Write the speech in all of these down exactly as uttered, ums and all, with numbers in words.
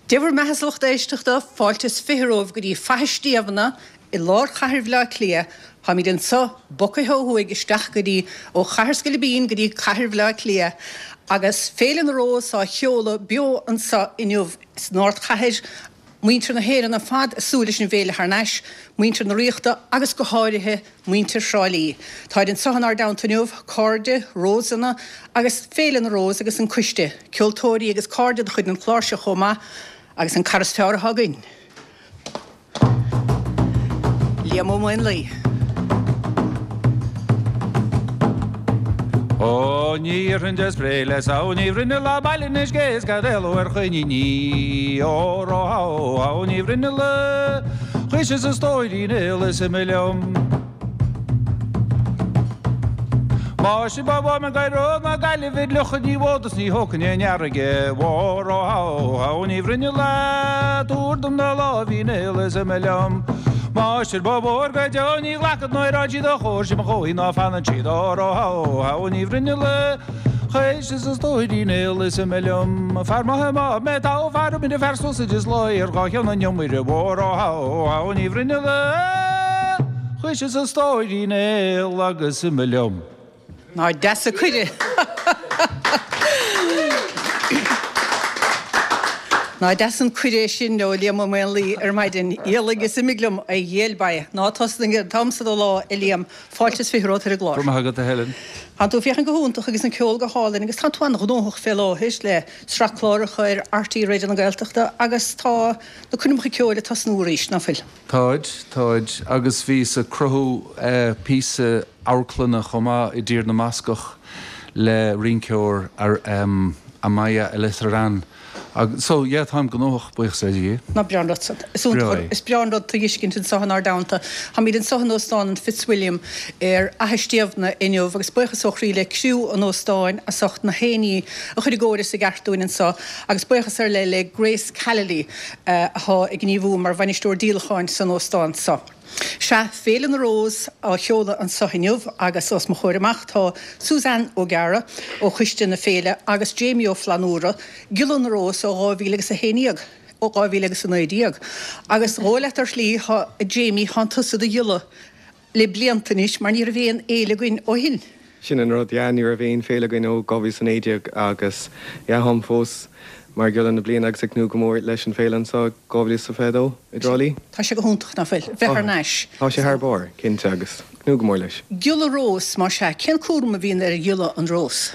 Dé bhur mbeatha, a lucht éisteachta, fáilte is fiche romhaibh go dtí Faiche Stiabhna i lár chathair Bhaile Átha Cliath. Táimid anseo bogtha ó thuaidh isteach go dtí ó Chathair Scoilbín go dtí cathair Bhaile Átha Cliath agus Féile na Rós á sheoladh beo anseo inniu san ardchathair. Muintir na hÉireann ar fad ag súil leis an bhféile thar n-ais, muintir na Ríochta agus go háirithe muintir Thrá Lí. Táid anseo inár dteannta inniu, cairde, Rósanna agus Féile na Rós agus an coiste, ceoltóirí agus cairde de chuid an chláir seo chomh maith agus an cara is fearr atá againn. Liam Ó Maonlaí. Ó ní iarrfainn de spré le samhail ní bhruinneall baile anois cé is cad éaló ar choiníní Óró hó hó ní bhruinneall chuir sé sa stóirín éal is imigh liom. Máistir ba mhaith me gaireod ná Gaillimh id fhliuchadh ní bhfód is ní thógfainn aon fharraige Óró hó hó ní bhruinneall tabhair dom do láimhín aol is imigh liom. Máistir ba mhór go deo ní ghlacfad ná siad a chóir sin mo chóí ná fanann siad Óró hó hó ní bhruinneall chuir sé sa stóirín aol is imigh liom. Fear maith má mé tá fear mine fear suas is lá ar dhá cheann an iomaire Óró hó hó ní bhruinneall chuir sé sa stóirín aol agus imigh liom. Ná deas an cuireadh. Ná deas an cuireadh sin ó Liam Ó Maonlaí ar maidin. Éalaigh is imigh liom, a ghéill baie. Ná tosnaigh an t-am so de lá, a Liam. Fáilte is fiche romhat ar an gclár. Go raibh maith agat, a Helen. Tánn tú ag féachaint go hiontach agus an ceol go hálainn agus tánn tú an-ghnóthach fé láthair le sraith cláracha ar RTÉ Raidió na Gaeltachta agus tá na coirmeacha ceoil ag tosnú arís, ná fuil? Táid, táid. Agus bhíos ag cruthú píosa amharclainne chomh maith i dTír na mBascach le rinceoir Amaya Elizarán. So, yeah, táim gnóthach, buíochas le Dia. Ná breá an rud san. Is iontach, is breá an rud tú a fheiscint anseo inár dteannta. Táimid anseo in Óstán an Fitzwilliam ar Fhaiche Stiabhna inniu agus buíochas ó chroí le criú an óstáin as ucht na haon ní a chur i gcóir is i gceart dúinn anseo agus buíochas ar leith le Grace Callely atá ag gníomhú mar bhainisteoir díolacháin san óstán seo. Sea, Féile na Rós á sheoladh anseo inniu agus os mo chomhair amach tá Suzanne O'Gara ó Choiste na Féile agus Jamie Ó Flannúra, Giolla na Rós ó dhá mhíle agus a haon déag, ó dhá mhíle agus a naoi déag. Agus dhó leat ar shlí, tá, Jamie, thánn tusa i do ghiolla le blianta anois mar ní raibh aon fhéile againn ó shin. Sin an rud, yeah, ní raibh aon féile againn ó dhá mhíle is a naoi déag agus yeah, táim fós mar Ghiolla na bliana agus ag tnúth go mór leis an féile anseo dhá mhíle is fiche a dó i dTrá Lí. Tá sé go hiontach, ná fuil? Bheith thar n-ais. Tá sé thar barr, cinnte, agus ag tnúth go mór leis. Giolla Rós, más ea, cén cúram a bhíonn ar Ghiolla an Rós?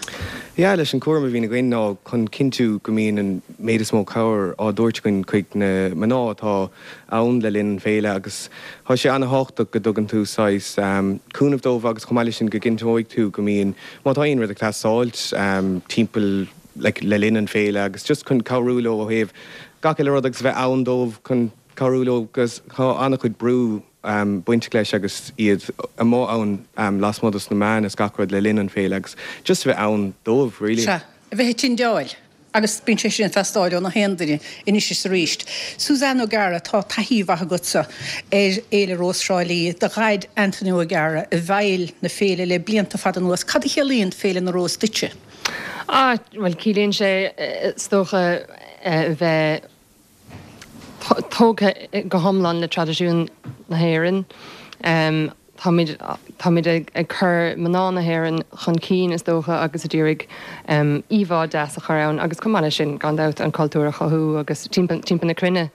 Yeah, leis an cúram a bhíonn againn ná chun cinntiú go mbíonn an méid is mó cabhair á dtabhairt againn chuig na mná atá ann le linn an féile agus tá sé ana-thábhachtach go dtugann tú saghas cúnamh dóibh agus chomh maith leis sin go gcinnteoidh tú go mbíonn, má tá aon rud ag teastáilt timpeall like le linn an féile agus just chun cabhrú leo ó thaobh gach uile rud agus a bheith ann dóibh chun cabhrú leo agus tá an-chuid brú bainteach leis agus iad amuigh ann lasmuigh dos na meáin is gach rud le linn an féile agus just a bheith ann dóibh really. Sea, a bheith ag tindeáil agus bíonn sé sin ag teastáil ó na haon duine anois is arís. Suzanne O'Gara, tá taithí mhaith agatsa ar Fhéile Rós Thrá Lí, do dhaid Anthony O'Gara i bhfeighil na féile le blianta fada anuas. Cad a chiallaíonn Féile na Rós duitse? Ah, bhuel, ciallaíonn sé, is dócha, a bheith tógtha go hiomlán le traidisiún na hÉireann. Táimid, táimid ag cur mná na hÉireann chun cinn, is dócha, agus ag iarraidh íomhá deas a chur ann agus chomh maith leis sin, gan dabht, an cultúr a chothú agus timpeall, timpeall na cruinne.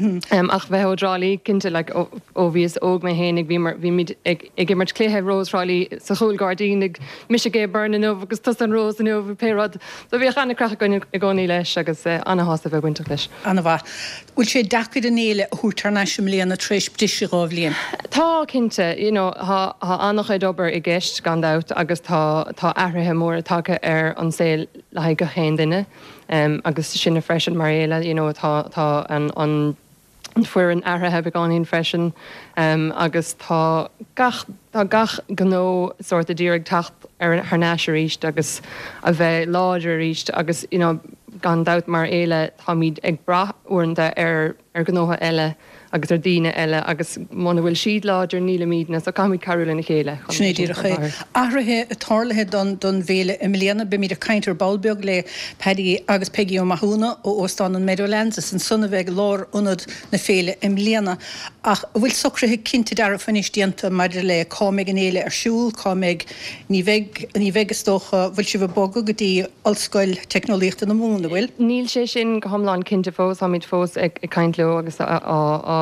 Ach bheith ó dTrá Lí, cinnte, like, ó bhíos óg mé fhéinig, bhíomar, bhímid ag, ag imirt cluiche Rós Thrá Lí sa chúl gairdín ag mise Gay Byrne inniu agus tusa an Rós inniu, pé rud. So bhíodh an-chraic againn i gcónaí leis agus ana-shásta bheith bainteach leis. Ana-mhaith. Bhfuil sé deacair an fhéile a thabhairt thar n-ais i mbliana tar éis briseadh dhá bhliain? Tá, cinnte. You know, tá, tá an-chuid obair i gceist, gan dabht, agus tá, tá athruithe móra tagtha ar an saol le haghaidh gach aon duine. Agus sinne freisin mar fhéile, you know, tá, tá an, an, an foireann athraithe beagáinín freisin agus tá gach, tá gach gnó sórt ag iarraidh teacht ar, thar n-ais arís agus a bheith láidir arís agus, you know, gan dabht mar fhéile táimid ag brath uaireanta ar, ar ar ghnótha eile agus ar daoine eile agus muna bhfuil siad láidir nílimidne so caithfimid cabhrú lena chéile. Sin é díreach é. Athruithe tarlaithe don don bhféile i mbliana, beimid ag caint ar ball beag le Paddy agus Peggy Ó Mathúna ó Óstán an Meadowlands is ansan a bheidh lárionad na féile i mbliana. Ach an bhfuil socruithe cinnte dearfa anois déanta maidir le cá mbeidh an fhéile ar siúl, cá mbeidh, ní bheidh, ní bheidh is dócha, bhfuil sibh ag bogadh go dtí Ollscoil Teicneolaíochta na Mumhan, an bhfuil? Níl sé sin go hiomlán cinnte fós, táimid fós ag caint leo agus á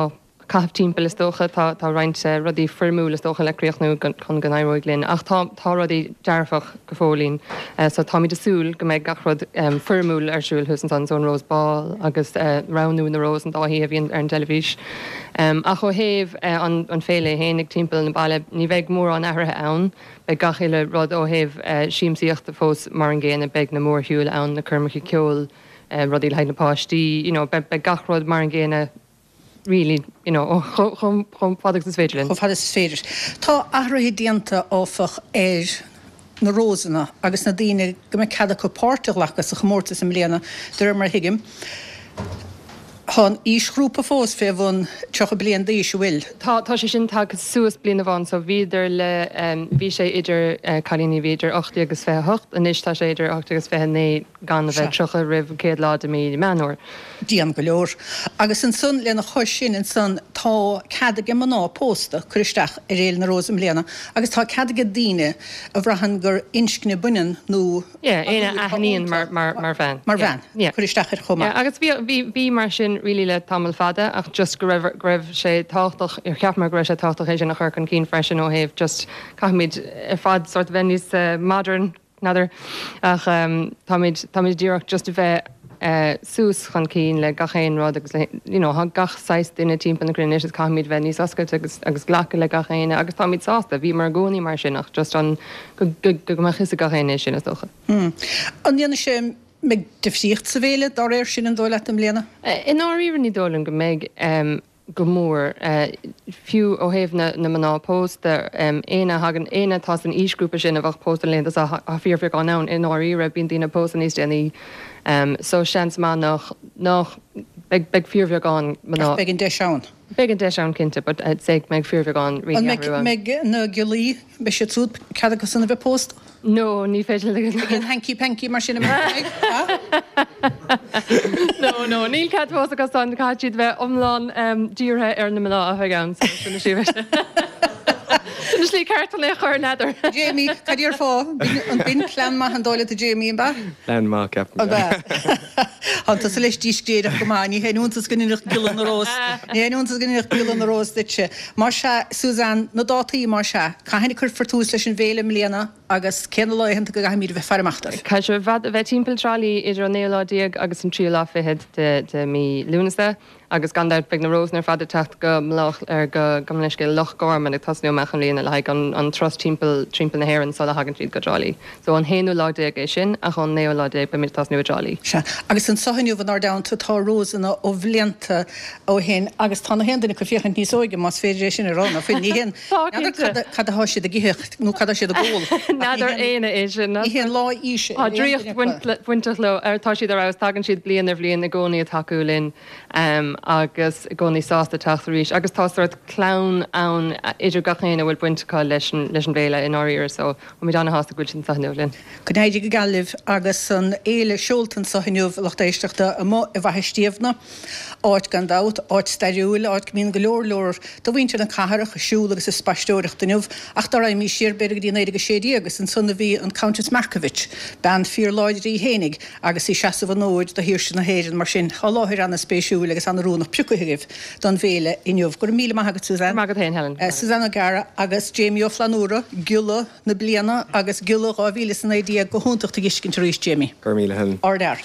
caitheamh timpeall is dócha. Tá tá roinnt rudaí foirmiúil is dócha le críochnú chun go n-éireoidh linn ach tá tá rudaí dearfach go fóillín so táimid ag súil go mbeidh gach rud foirmiúil ar siúl thuas ansan so an Rose Ball agus roghnú na Rós an dá oíche a bhíonn ar an dteilifís. Ach ó thaobh an an féile fhéinig timpeall na baile ní bheidh mórán athruithe ann. Beidh gach uile rud ó thaobh siamsaíochta fós mar an gcéanna, beidh na mórshiúil ann, na coirmeacha ceoil, rudaí le haghaidh na páistí, you know, beidh gach rud mar an gcéanna really, you know, chomh fada agus is féidir linn. Chomh fada is is féidir. Tá athruithe déanta, áfach, ar na Rósanna agus na daoine go mbeidh cead acu páirt a ghlacadh sa chomórtas i mbliana, de réir mar a thuigim. Tá an aoisghrúpa fós fé bhun tríocha bliain d'aois, an bhfuil? Tá, tá sé sin tagtha suas bliain amháin so bhíodar le, bhí sé idir cailíní a bhí idir ocht déag agus fiche hocht, anois tá sé idir ocht déag agus fiche naoi gan a bheith tríocha roimh an chéad lá de mí Meán Fhómhair. Dian go leor. Agus ansan, lena chois sin ansan, tá cead aige mná pósta cur isteach ar Fhéile na Rós i mbliana agus tá cead aige daoine a bhraitheann gur inscne baineann nó Yeah, éinne a aithníonn mar, mar, mar bhean. Mar bhean. Yeah. Cur isteach air chomh maith. Yeah, agus bhí, bhí, bhí mar sin really le tamall fada ach just go raibh, go raibh sé tábhachtach, cheapamar go raibh sé tábhachtach é sin a chur chun cinn freisin ó thaobh just caithfimid ar fad sort of bheith níos uh, modern, n'fheadar, ach um, táimid, táimid díreach just a bheith uh, suas chun cinn le gach aon rud agus le, you know, tá gach saghas duine timpeall na cruinne anois is caithfimid bheith níos oscailte agus, agus glacadh le gach éinne agus táimid sásta, bhíomar i gcónaí mar sin ach just an go, go, go mbeadh fhios ag gach éinne sin is dócha. Hmm. An ndéanfaidh sé mbeidh difríocht sa bhféile dá réir sin an dóigh leat i mbliana? I ndáiríre ní dóigh liom go mbeidh um, go mór, fiú ó thaobh na na mná pósta, éinne a thagann, éinne atá san aoisghrúpa sin a bheadh pósta na laethanta seo, tá fíorbheagán ann i ndáiríre, bíonn daoine pósta níos déanaí so seans maith nach, nach, beidh, beidh fíorbheagán mná. Ach beidh an deis ann. Beidh an deis ann cinnte but I'd say go mbeidh fíorbheagán really An mbeidh, ann. mbeidh na giollaí, beidh siad siúd, cead acusan a bheith pósta? No, ní féidir le. Beidh an hanky panky mar sin amuigh, ha? No, no, níl cead pósadh acu san, caithfidh siad bheith iomlán dírithe ar na mná a bheidh ann, so sin an slí sin an slí ceart chun é a chur, n'fheadar. Jamie, cad déarfá? An b'in plean maith an dóigh leat a Jamie, an b'ea? Plean maith, ceapaim. An b'ea? Tá tusa leis díscréideach go maith, ní haon iontas go ndéanfadh Giolla na Rós, ní haon iontas go ndéanfadh Giolla na Rós duitse. Más ea, Suzanne, na dátaí, más ea, cathain a cuirfear tús leis an bhféile i mbliana? Agus cé na laethanta go gcaithfimid a bheith ag faire amach dóibh? Caithfidh sibh ar fad a bheith timpeall Trá Lí idir an naoú lá déag agus an tríú lá fichead de de mí Lúnasa agus gan dabht beidh na Rósanna ar fad ag teacht go Mlách ar go gabh mo leithscéal Loch Garman ag tosnú amach i mbliana le haghaidh an an turas timpeall timpeall na hÉireann sula thagann siad go Trá Lí. So an haonú lá déag é sin ach ón naoú lá déag beimid ag tosnú i dTrá Lí. Sea. Agus anseo inniu inár dteannta tá Rósanna ó bhlianta ó shin agus tá na haon duine acu ag féachaint níos óige más féidir é sin a rá ná fuil. Ní haon Tá N'fheadar cinnte. cad a cad atá siad ag ithe nó cad atá siad ag ól ach ní N'fheadar haon éinne é sin. ní haon lá aoise Tá ar aon draíocht duine acu. bhaint le bainteach leo ar tá siad ar fheabhas tagann siad bliain ar bhliain i gcónaí ag tacú linn agus i gcónaí sásta teacht arís agus tá sórt clann ann idir gach éinne a bhfuil baint acu leis an leis an bhféile i ndáiríre so táimid ana-shásta go bhfuil siad anseo inniu linn. Go n-éirí go geal libh agus an fhéile seolta anseo inniu, a lucht éisteachta, amuigh i bhFaiche Stiabhna. Áit gan dabht, áit stairiúil, áit go mbíonn go leor leor de mhuintir na cathrach ag siúl agus ag spaisteoireacht inniu, ach dá raghaimís siar b'fhéidir go dtí naoi déag a sé déag, is ansan a bhí an Countess Markievicz, bean fíorláidir í fhéinig agus í ag seasamh an fhóid do shaoirse na hÉireann. Mar sin, tá láthair ana-spéisiúil agus an-oiriúnach pioctha agaibh don bhféile inniu. Go raibh míle maith agat, Suzanne. Go raibh maith agat féin, Helen. Suzanne O'Gara agus Jamie Ó Flannúra, Giolla na bliana agus Giolla dhá mhíle is a naoi déag, go hiontach tú a dh'fheiscint arís, Jamie. Go raibh míle, Helen. Ardfhear.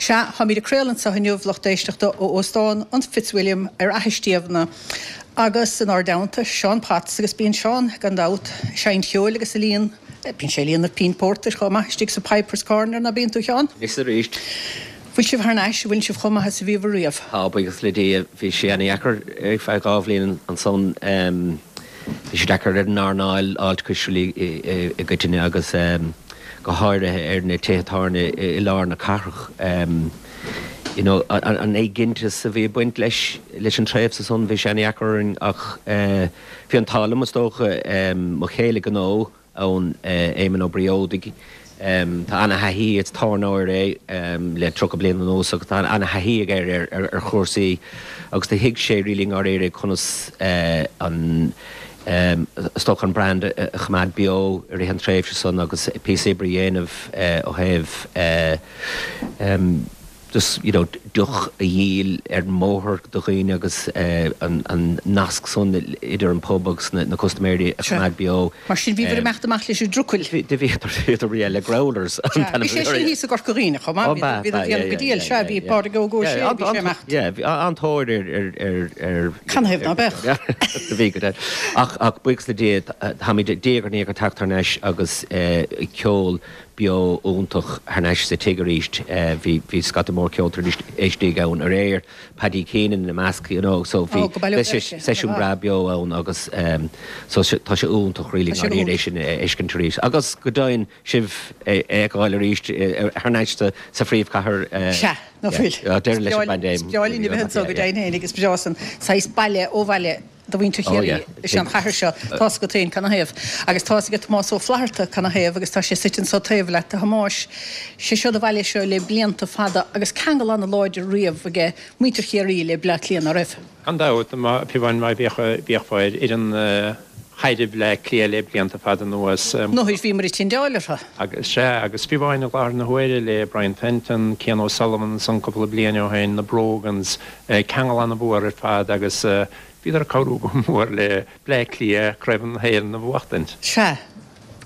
Sea, táimid ag craoladh anseo inniu, lucht éisteachta, ó Óstán an Fitzwilliam ar Fhaiche Stiabhna agus inár dteannta, Seán Potts agus bíonn Seán, gan dabht, ag seinnt cheoil agus ag líon, bíonn sé ag líonadh pínt pórtair chomh maith istigh sa Piper's Corner, ná bíonn tú, a Sheáin? Anois arís. Bhfuil sibh thar n-ais, an bhfuil sibh chomh maith is a bhíobhair riamh? Tá, buíochas le Dia. Bhí sé ana-dheacair ar feadh dhá bhliain ansan. Bhí sé deacair ar an earnáil fháilte i gcoitinne agus go háirithe ar na tithe tábhairne i lár na cathrach. you know, an éiginnteacht a bhí ag baint leis leis an tréimhse san, bhí sé an-deacair orainn ach bhí an t-ádh liom is dócha mo chéile gnó ann, Éamonn Ó Briódaigh, tá ana-thaithí, is tábhairneoir é le tríocha bliain anuas agus tá ana-thaithí aige ar ar chúrsaí agus do thuig sé really i ndáiríre conas an is dócha an brand a choimeád beo i rith an tréimhse san agus píosa oibre a dhéanamh ó thaobh just you know deoch a dhíol ar an mbóthar do dhaoine agus an an nasc san idir an pub agus na na custaiméirí a choimeád beo. Mar sin bhíobhair ag imeacht amach leis an dtrucail. Bhí bhíodar bhíodar yeah le growlers an t-ainm Bhí sé sin thíos i gCorca Dhuibhne chomh maith, bhíodar bhíodar ag déanamh go diail, sea bhí Pádraig Óg Ó Sé bhí sé amach. Yeah bhí an-tóir ar ar ar ar Canathaobh ná beadh? Bhí go deimhin. Ach ach buíochas le Dia táimid diaidh ar ndiaidh ag teacht thar n-ais agus ceol beo iontach thar n-ais sa tigh arís. Bhí bhí scata mór ceoltóirí istigh ann aréir, Paddy Keenan ina measc, you know, so bhí seisiún breá beo ann agus so tá sé iontach really i ndáiríre é sin a fheiscint arís. Agus go deimhin sibh a fheiceáil arís thar n-ais sa phríomhchathair. Sea, ná fuil. Deireadh leis an bpaindéim. Is breá linn a bheith anseo go deimhin féin agus breá san saghas baile ó bhaile do mhuintir Chiarraí is ea an chathair seo. Tá's agat féin canathaobh. Agus tá's ag Tomás Ó Flatharta canathaobh agus tá sé suite anso taobh leat. A Thomáis, sé seo do bhaile seo le blianta fada agus ceangal an-láidir riamh aige muintir Chiarraí le Bleá Cliath, ná raibh? Gan dabht, fiú amháin má bhíodh bhíodh ar fhoireann chaide Bhleá Cliath le blianta fada anuas. Nuair bhíomar ag tindeáil orthu. Agus, sea, agus fiú amháin i láthair na huaire le Brian Fenton, Cian O'Sullivan ansan cúpla bliain ó shin, na Brogans, ceangal an-mhór ar fad agus bhíodar ag cabhrú go mór le Bleá Cliath Craobh na hÉireann a bhuachtaint. Sea,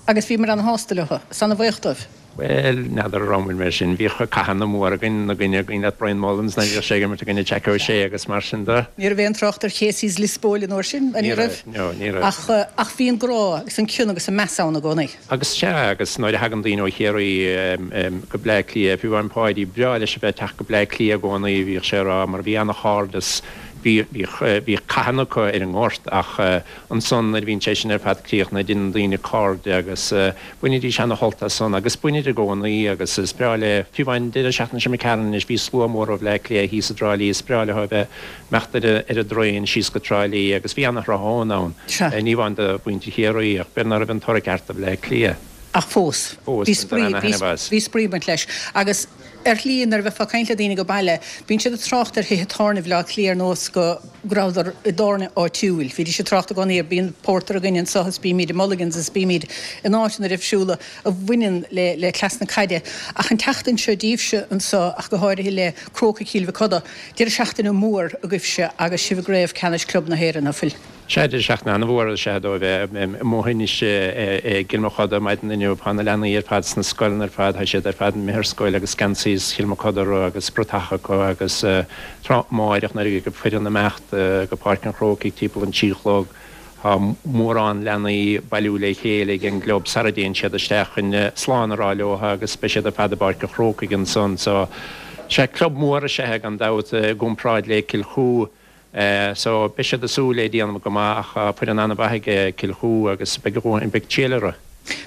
agus bhíomar ana-shásta leo, is ana-bhuíoch dóibh. Bhuel, n'fheadar an raibh muid mar sin. Bhíodh cathanna móra againn ina gcoinne, againn le Brian Mullins nuair a bhíodh sé ag imirt i gcoinne Jackie O'Shea agus mar sin de. Ní raibh aon trácht ar Casey's Liospóil an uair sin, ní raibh? No, ní raibh. Ach, ach bhí an grá agus an cion agus an meas ann i gcónaí. Agus sea, agus nuair a thagann daoine ó Chiarraí go Bleá Cliath, fiú amháin Páidí, breá leis a bheith ag teacht go Bleá Cliath i gcónaí, bhíodh sé ag rá, mar bhí ana-chairdeas, bhí, bhíodh, bhíodh cathanna acu ar an ngort ach ansan nuair a bhíonn sé sin ar fad críochnaithe, deineann daoine cairde agus bainidís ana-shult as san agus bainid i gcónaí agus is breá le, fiú amháin an deireadh seachtaine seo imigh tharainn anois, bhí slua mór ó Bhleá Cliath thíos i dTrá Lí, is breá leo a bheith ag imeacht ar ar an dtraein síos go Trá Lí agus bhí ana-thráthnóna ann, ní amháin do mhuintir Chiarraí ach b'fhéidir ná raibh an toradh ceart do Bhleá Cliath. Ach fós, bhí spraoi, bhí spraoi ag baint leis agus. Ar shlí, nuair a bheifeá ag caint le daoine go baile, bíonn siad ag trácht ar thithe tábhairne Bhaile Átha Cliath ar nós go rabhadar i dtábhairne áitiúil. Bhídís ag trácht i gcónaí ar bíonn pórtar againn anseo is bímid i Mulligan's is bímid in áiteanna difriúla a bhaineann le le cleas na caide. Ach an tseachtain seo daoibhse anseo ach go háirithe le Crócaigh Chill Mhic Coda, deireadh seachtaine mór agaibhse agus sibh i gCraobh Ceannais Club na hÉireann, ná fuil? Sea, deireadh seachtaine an-mhór is ea dóibh. Amuigh anois i gCill Mochuda maidin inniu, tá na leanaí ar fad sna scoileanna ar fad, tá siad ar fad imithe ar scoil agus geansaí Chill Mochuda orthu agus bratach acu agus tráth amáireach nuair a bheidh an foireann ag imeacht go Páirc an Chrócaigh timpeall an trí a chlog, tá mórán leanaí ag bailiú le chéile ag an gclub sara dtéann siad isteach chun slán a rá leo agus beidh siad ar fad i bPáirc an Chrócaigh ansan. So, sea, club mór is ea é gan dabht i gcomparáid le Cill Chua. So, beidh siad ag súil le déanamh go maith ach tá foireann an-mhaith ag Cill Chua agus beidh beidh triail orthu.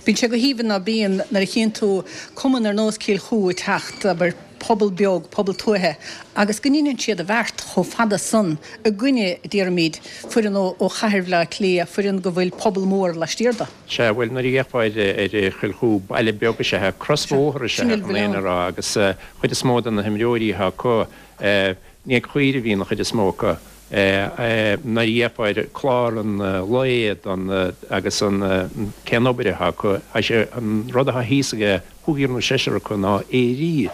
Bíonn sé go haoibhinn ná bíonn nuair a chíonn tú cumann ar nós Cill Chua ag teacht, abair, pobal beag, pobal tuaithe, agus go ndeineann siad a bheart chomh fada san i gcoinne, déarfaimid, foireann ó ó chathair Bhaile Átha Cliath, foireann go bhfuil pobal mór laistiar de. Sea, bhuel, nuair a d'fhéachfá ar ar Chill Chua, baile beag is ea é, crosbhóthar is ea é chun an fhírinne a rá agus chuid is mó de na himreoirí atá acu, Ní ag caoirigh a bhíonn an chuid is mó acu. Nuair a d'fhéachfá ar chlár an lae don agus an cén obair atá acu, tá sé an rud atá thíos ag cúigear nó seisear acu ná aoirí.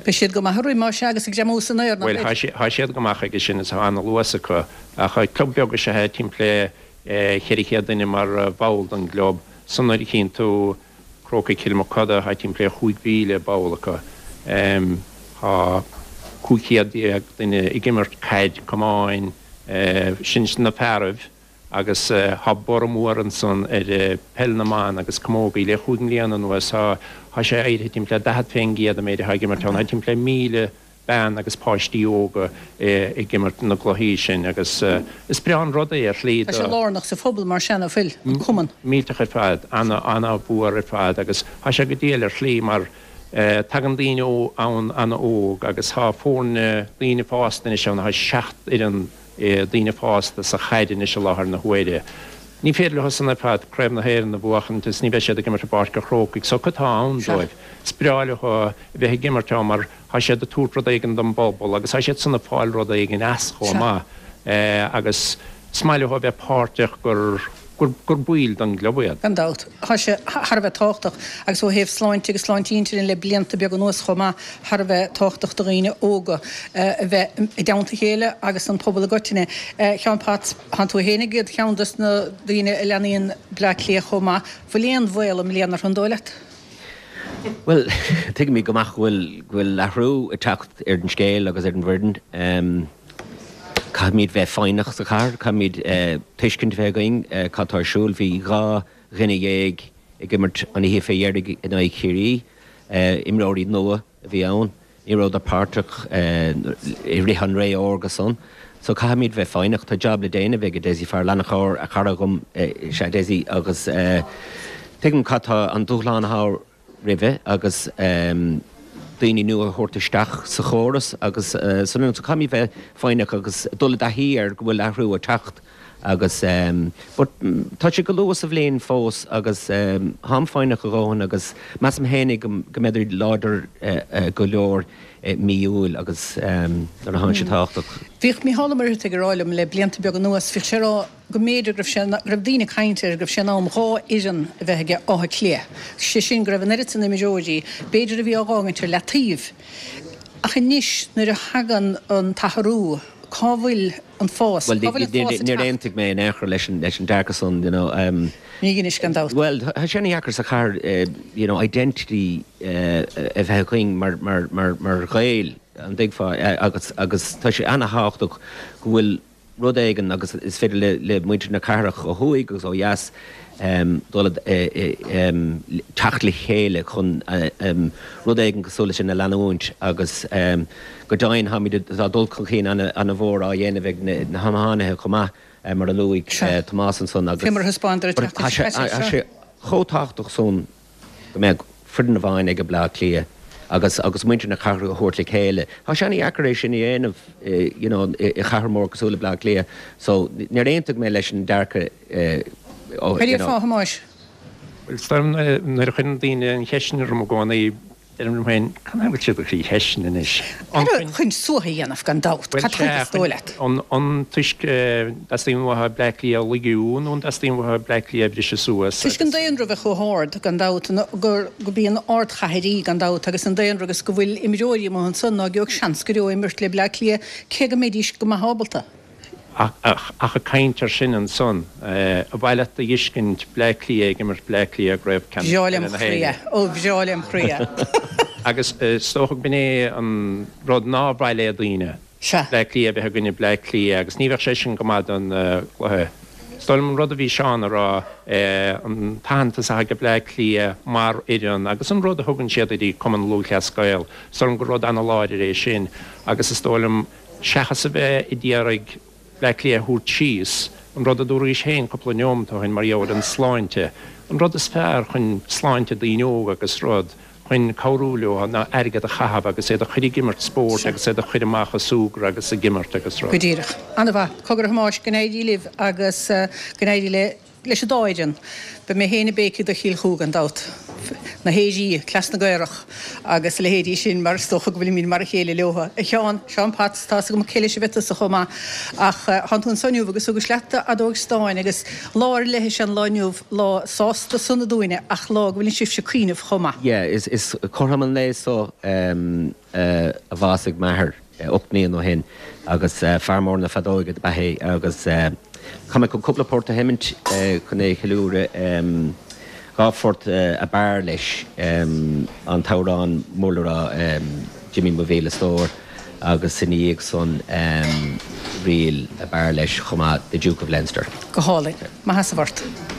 Beidh siad go maith ag rith, más ea, agus ag greamú san aer, nach Bhuel, mbeidh? tá siad go maith aige sin is tá ana-luas acu. Ach club beag is ea é, timpeall le ceithre chéad duine mar bhall den gclub. So nuair a chíonn tú Crócaigh Chill Mochuda, tá timpeall le chúig mhíle ball acu. Tá cúig chéad déag duine ag imirt caid camáin, sin na fearaibh, agus tá borradh mór ansan ar peil na mban agus camógaí. Le chúig mbliana anuas tá sé éirithe timpeall le daichead fén gcéad an méid atá ag imirt ann. Tá timpeall le míle bean agus páistí óga ag imirt na gcluichí sin agus is breá an rud é ar shlí Tá sé do. lárnach sa phobal mar sin, ná fuil, an cumann? Millteach ar fad, ana-mhór ar fad agus tá sé go diail ar shlí mar Tagann daoine ann an-óg agus tá foirne daoine fásta anois ann, tá seacht fhoireann daoine fásta sa chaid anois i láthair na huaire. Ní féidir leo san ar fad Craobh na hÉireann a bhuachaint is ní bheidh siad ag imirt i bPáirc an Chrócaigh so cad tá ann dóibh? Is breá leo a bheith ag imirt ann mar tá siad ag tabhairt rud éigin don bpobal agus tá siad san ag fáil rud éigin as chomh maith agus is maith leo a bheith páirteach gur gur baill den gclub iad. Gan dabht, tá sé thar a bheith tábhachtach, agus ó thaobh sláinte agus sláinte intinne le blianta beaga anuas chomh maith, thar a bheith tábhachtach do dhaoine óga a bheith i dteannta a chéile agus an pobal i gcoitinne. A Sheáin Potts, tánn tú féin ar cheann dos na daoine a leanaíonn Bleá Cliath chomh maith. Bhfuil aon bhaol i mbliana orthu, an dóigh leat? Bhuel, tuigimid go maith go bhfuil go bhfuil athrú ag teacht ar an scéal agus ar an bhfoireann. Caithfimid bheith foighneach sa chathair, caithfimid tuiscint a bheith againn cad tá ar siúl. Bhí dhá dhuine dhéag ag imirt an oíche fé dheiridh in aghaidh Chiarraí, imreoirí nua a bhí ann. Ní rabhadar páirteach i rith an ré órga san. So caithfimid bheith foighneach. Tá jab le déanamh ag Dessie, fear an-chara, a chara dhom is ea Dessie agus tuigim cad tá an dúshlán atá roimhe agus daoine nua a thabhairt isteach sa chóras agus san. So caithfimid bheith foighneach agus dul i dtaithí ar go bhfuil athrú ag teacht agus but tá sé go luath sa bhliain fós agus táim foighneach a dhóthain agus measaim fhéinig go mbeidh láidir go leor i mí Iúil agus nuair a tánn sé tábhachtach. Bhíodh Mícheál Ó Muircheartaigh ag rá liom le blianta beaga anuas, bhíodh sé ag rá go mb'fhéidir go raibh sé, go raibh daoine ag caint air go raibh sé in am dhá fhoireann a bheith aige Áth Cliath, sé sin go raibh an oiread san imreoirí, b'fhéidir a bhí á dh'fhágaint ar leataobh. Ach anois nuair a thagann an t-athrú, cá bhfuil an fás? Bhuel, Cá bhfuil an fás ag níor teacht? aontaigh mé in aon chor leis an leis an dearcadh san, you know. Ní anois gan dabht. Bhuel, tá sé ana-dheacair sa chathair, you know, identity a bheith againn mar mar mar mar Ghaeil, an dtuigfeá, agus agus tá sé ana-thábhachtach go bhfuil rud éigin agus is féidir le le muintir na cathrach ó thuaidh agus ó dheas dul teacht le chéile chun rud éigin cosúil leis sin a leanúint agus go deimhin táimid tá dul chun cinn ana-mhór á dhéanamh ag na hiománaithe chomh maith mar a luaigh Tomás ansan agus Fé mar a thaispeánadar an tseachtain seo caite. Tá sé chomh tábhachtach san go mbeadh foireann amháin ag Bleá Cliath agus agus muintir na cathrach a thabhairt le chéile. Tá sé ana-dheacair é sin a dhéanamh you know i chathair mhór cosúil le Bleá Cliath so níor aontaigh mé leis an dearcadh Cad é fáth, a Thomáis? Bhuel, is dóigh liom nuair a chuireann daoine an cheist sin orm i gcónaí, deirim liom féin, cad a bhfuil siad ag cur cheist sin anois? An chun suaitheadh a dhéanamh, gan dabht. Bhuel, Cad chuige sea, is dóigh leat? an, an toisc dteastaíonn uathu Bleá Cliath a lagú nó an dteastaíonn uathu Bleá Cliath a bhriseadh suas Toisc an agus. daonra bheith chomh hard, gan dabht, gur, gurb í an ardchathair í, gan dabht, agus an daonra agus go bhfuil imreoirí amuigh ansan ná gheobhadh seans go deo imirt le Bleá Cliath, cé go mbeidís go maith ábalta. Ach ag caint ar sin ansan, ar mhaith leat a dh'fheiscint Bleá Cliath ag imirt Bleá Cliath i gCraobh Ceannais Bhreá Peile lem na chroí é. hÉireann. Ó, bhreá lem chroí é. Agus is dócha go b'in é an rud nár mhaith le daoine, Sea. Bleá Cliath a bheith i gcoinne Bleá Cliath agus ní bheadh sé sin go maith don gcluiche. Is dóigh liom an rud a bhí Seán a rá, an t-aitheantas atá ag Bleá Cliath mar fhoireann agus an rud a thugann siad do Chumann Lúthchleas Gael, is dóigh liom gur rud ana-láidir é sin agus is dóigh liom seachas a bheith ag iarraidh Bleá Cliath a thabhairt síos, an rud a dúraís féin cúpla neomat ó shin mar gheall ar an sláinte, an rud is fearr chun sláinte daoine óga agus rud chun cabhrú leo ná airgead a chaitheamh agus iad a chur ag imirt spóirt agus iad a chur amach ag súgradh agus ag imirt agus rud. Go díreach. An-mhaith. Cogar a Thomáis, go n-éirí libh agus go n-éirí le. Leis an dá fhoireann. Beidh mé féin ag béicigh do Chill Chú gan dabht. Na hÉirí, cleas na gcaorach agus a leithéidí sin mar is dócha go bhfuilimid mar a chéile leo. A Sheáin, Seán Potts, tá's agam cé leis a bheith tusa chomh maith ach thánn tú anso inniu agus thugais leat d'fheadóg stáin agus lá ar leith is ea an lá inniu, lá sásta sona dúinne ach lá go bhfuileann sibhse ag cuimhneamh chomh maith. Yeah, is is cothrom an lae so a bhásaigh m'athair ocht mbliana ó shin agus fear mór na feadóige do b'ea é agus Tá mé chun cúpla port a sheimint chun é a cheiliúradh. Dhá phort ab fhearr leis, an t-amhrán mór le rá Jimí Mo Mhíle Stór agus ina dhiaidh san ríl ab fhearr leis chomh maith, The Duke of Leinster. Go hálainn. Maith as an bport.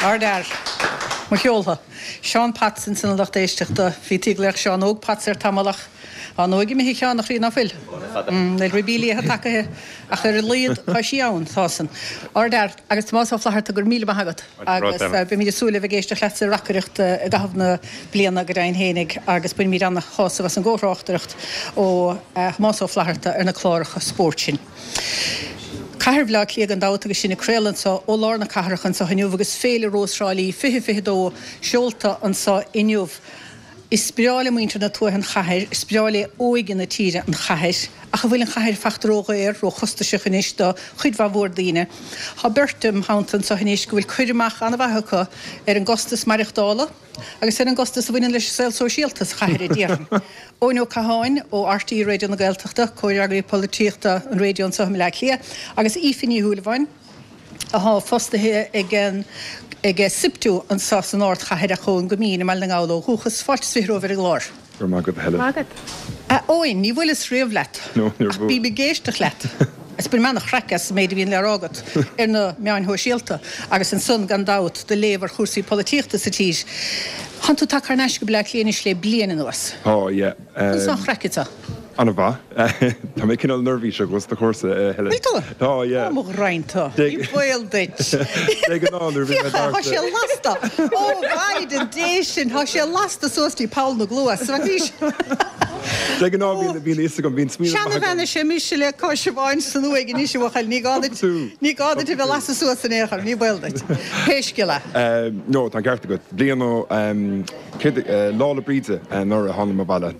Ardfhear. Mo cheoltha. Seán Potts ansin a lucht éisteachta. Bhítí ag glaoch Seán Óg Potts air tamall ach tá an óige imithe a Sheáin, a chroí, ná fuil? Níl ribí liatha tagaithe ach ar a laghad tá sí ann, tá san. Ardfhear. Agus Tomás Ó Flatharta, go raibh míle maith agat. Agus beimid ag súil le bheith ag éisteacht leatsa ag reacaireacht i gcaitheamh na bliana go deimhin fhéinig agus bainimid ana-shásamh as an gcomhthráchtaireacht ó Thomás Ó Flatharta ar na cláracha spóirt sin. Cathair Bhaile Átha Cliath gan dabht agus sinn ag craoladh anseo ó lár na cathrach anseo inniu agus Féile Rós Thrá Lí fiche fiche dó seolta anseo inniu. Is breá le muintir na tuaithe an chathair, is breá le óige na tíre an chathair, ach an bhfuil an chathair fachta ródhaor, róchostasach anois do chuid mhaith mhór daoine? Tá beirt im theannta anseo anois go bhfuil cur amach an-mhaith acu ar an gcostas maireachtála agus ar an gcostas a bhaineann leis an saol sóisialta sa chathair, a déarfainn. Eoin Ó Catháin ó RTÉ Raidió na Gaeltachta, Comhfhreagraí Polaitíochta an raidió anseo i mBleá Cliath, agus Aoife Ní Shúilleabháin, athá fostaithe ag an ag SIPTU anseo san ardchathair ach ón gCoimín i mBaile na nGall ó dhúchas. Fáilte is fiche romhaibh ar an gclár. Go raibh maith agat, a Helen. Maith agat. A Eoin, ní bhuaileas riamh leat No, níor ach bhuail. bím ag éisteacht leat agus bainim ana-chraic as an méid a bhíonn le rá agat ar na meáin shóisialta agus ansan gan dabht do léamh ar chúrsaí polaitíochta sa tír. Thánn tú tagtha thar n-ais go Bleá Cliath anois le bliain anuas. Tá, yeah. Conas tá an chraic anseo? An-mhaith. Tá mé cineál neirbhíseach os do chomhairsa, a Helen. Bhfuil tú? Tá, yeah. Ó, mo ghraidhin tú. Ní baol duit. De ghnáth nuair a bhíonn mé Féach, tá thart. sé lasta. Ó, Mhaighdean Dé sin, tá sé lasta suas dtí poll na gcluas. Bhí De ghnáth bíonn bíonn a fhios agam, bíonn smaoineamh maith agam. Seanabhean is ea mise le cois amháin san uaigh anois, a bhuachaill. Ní gá duit, ní gá duit a bheith lasta suas in aon chor, ní baol duit. Pé scéal é. No, tá an ceart agat. Bliain ó, céard, Lá 'le Bríde anuraidh a tháinig mé abhaile.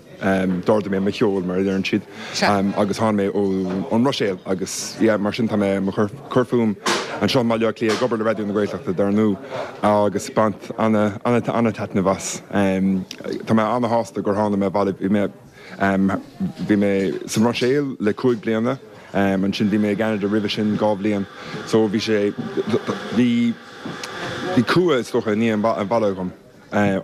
D'ardaigh mé mo sheol, mar a deireann siad, agus tháinig mé ón mBruiséil agus yeah, mar sin tá mé mo chur cur fúm anseo i mBaile Átha Cliath ag obair le Raidió na Gaeltachta dar ndóigh agus baint ana ana ana taitneamh as. Tá mé ana shásta gur tháinig mé abhaile. Bhí mé bhí mé sa mBruiséil le cúig bliana, ansin bhí mé i gCeanada roimhe sin dhá bhliain so bhí sé bhí bhí cumha is dócha i ndiaidh an bhaile agam.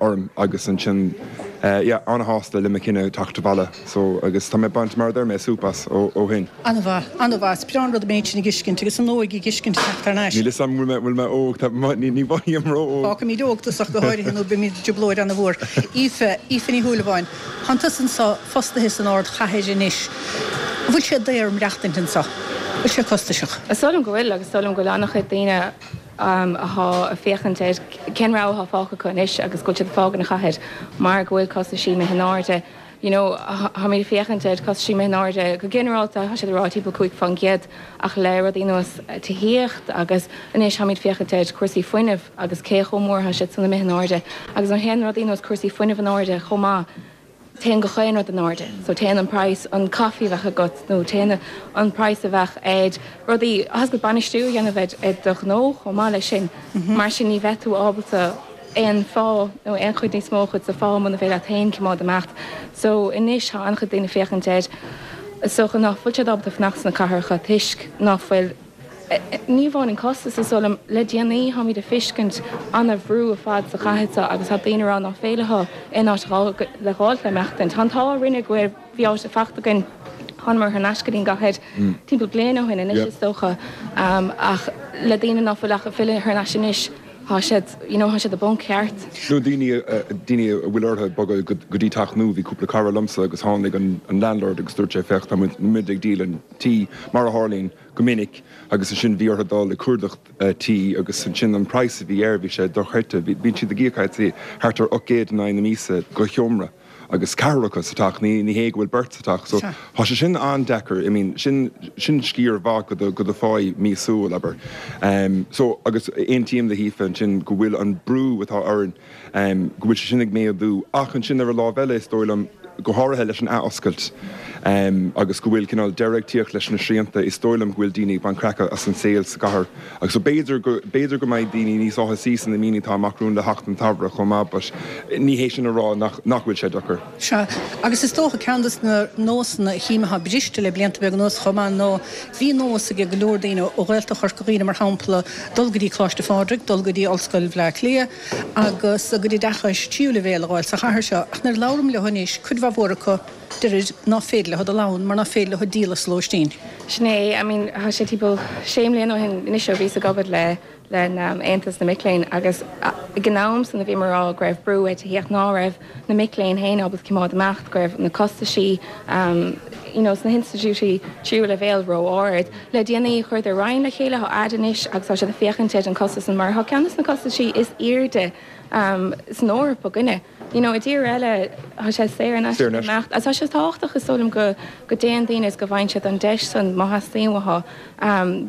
orm agus ansin yeah an-shásta le mo chinneadh teacht abhaile so agus tá mé ag baint mar a deir mé súp as ó ó shin. An-mhaith, an-mhaith. Is breá an rud an méid sin a dh'fheiscint agus an óige ag fheiscint teacht thar n-ais. Níl fhios a'm bhfuil mé bhfuil mé óg tá ní ní mhothaím ró-óg. Fágfaimid óg tusa ach go háirithe nó beimid i dtrioblóid an-mhór. Aoife, Aoife Ní Shúilleabháin, tánn tusa anseo fostaithe san ardchathair anois. An bhfuil sé daor maireachtaint anseo? Bhfuil sé costasach? Is dóigh liom go bhfuil agus is dóigh liom go bhfuil an-chuid daoine athá ag féachaint ar cén rogha athá fágtha acu anois agus go bhfuil siad ag fágaint an chathair mar go bhfuil costaisí imithe in airde. You know, tháimid ag féachaint ar costaisí imithe in airde go ginearálta, tá siad ag rá timpeall cúig faoin gcéad ach le rudaí ar nós tithíocht agus anois tháimid ag féachaint ar cúrsaí fuinnimh agus cé chomh mór athá siad san imithe in airde agus nuair a théann rudaí ar nós cúrsaí fuinnimh in airde chomh maith, téann gach aon rud in airde. So téann an praghas an caife a bheadh agat nó téann an praghas a bheadh ar rudaí, agus bainistiú a dhéanamh ar do ghnó chomh maith leis sin. Mar sin ní bheidh tú ábalta aon phá nó aon chuid níos mó chuid sa phá muna féidir leat féin coimeád imeacht. So anois tá an-chuid daoine ag féachaint air is dócha ná fuil siad ábalta fanacht sna cathracha toisc ná fuil Ní amháin an costas, is dóigh liom, le déanaí táimid ag feiscint ana-bhrú ar fad sa chathair seo agus tá daoine ag rá ná féidir leo aon áit le dh'fháilt le maireachtaint. Tá an t-ádh orainne go bhfuil, bhí áit fachta againn, thánamar thar n-ais go dtí an gcathair timpeall bliain ó shin anois is dócha ach le daoine ná fuil ach ag filleadh thar n-ais anois tá siad, you know, tá siad i bponc ceart. Nó daoine, daoine a bhfuil orthu bogadh go dtí teach nua, bhí cúpla cara liomsa agus tháinig an landlord agus dúirt sé féach tá muid ag díol an tí, mar a tharlaíonn go minic, agus ansin bhí orthu dul ag cuardach tí agus ansin an praghas a bhí air, bhí sé dochreidte, bíonn siad ag íoc I'd say thart ar ocht gcéad in aghaidh na míosa do sheomra. Agus ceathrar acu sa teach, ní ní hé go bhfuil beirt sa teach. So tá sé sin an-deacair, I mean sin sin sciar mhaith de do de do pháí míosúil, abair. Um so agus aontaím le hAoife ansin go bhfuil an brú atá orainn um go bhfuil sé sin ag méadú ach ansin ar an lámh eile is dóigh liom go háirithe leis an athoscailt um agus go bhfuil cineál deireadh ag tíocht leis na srianta, is dóigh liom go bhfuil daoine ag baint craic as an saol sa gcathair agus so b'fhéidir go b'fhéidir go mbeidh daoine níos áthasaí sna míonna atá amach romhainn le theacht an tsamhraidh chomh maith but ní hé sin a rá nach nach bhfuil sé deacair. Sea, agus is dócha ceann de na nósanna a chím atá briste le blianta beaga anuas chomh maith ná bhí nós ag go leor daoine ó Ghaeltacht Chorca Dhuibhne mar shampla dul go dtí Coláiste Phádraig, dul go dtí Ollscoil Bhaile Átha Cliath agus a gcuid oideachais tríú leibhéal a dh'fháil sa chathair seo ach nuair a labhraím leo anois cuid mhaith mhór acu Deirid ná féidir leo dul ann mar ná féidir leo díol as lóistín. Sin é, I mean, tá sé timpeall sé mbliana ó shin anois ó bhíos ag obair le le Aontas na Mic Léinn agus ag an am san a bhí mé ag rá go raibh brú ar tithíocht ná raibh na mic léinn féin ábalta coimeád amach, go raibh na costaisí you know sna hinstitiúidí tríú leibhéal ró-ard. Le déanaí chuireadar roinn le chéile, tá aire anois agus tá siad ag féachaint ar an costas san mar tá ceann de na costaisí is airde san Eoraip againne. You know, i dtír eile tá sé saor in aisce imeacht. Agus tá sé tábhachtach is dóigh liom go go dtéann daoine is go bhfaigheann siad an deis san má theastaíonn uathu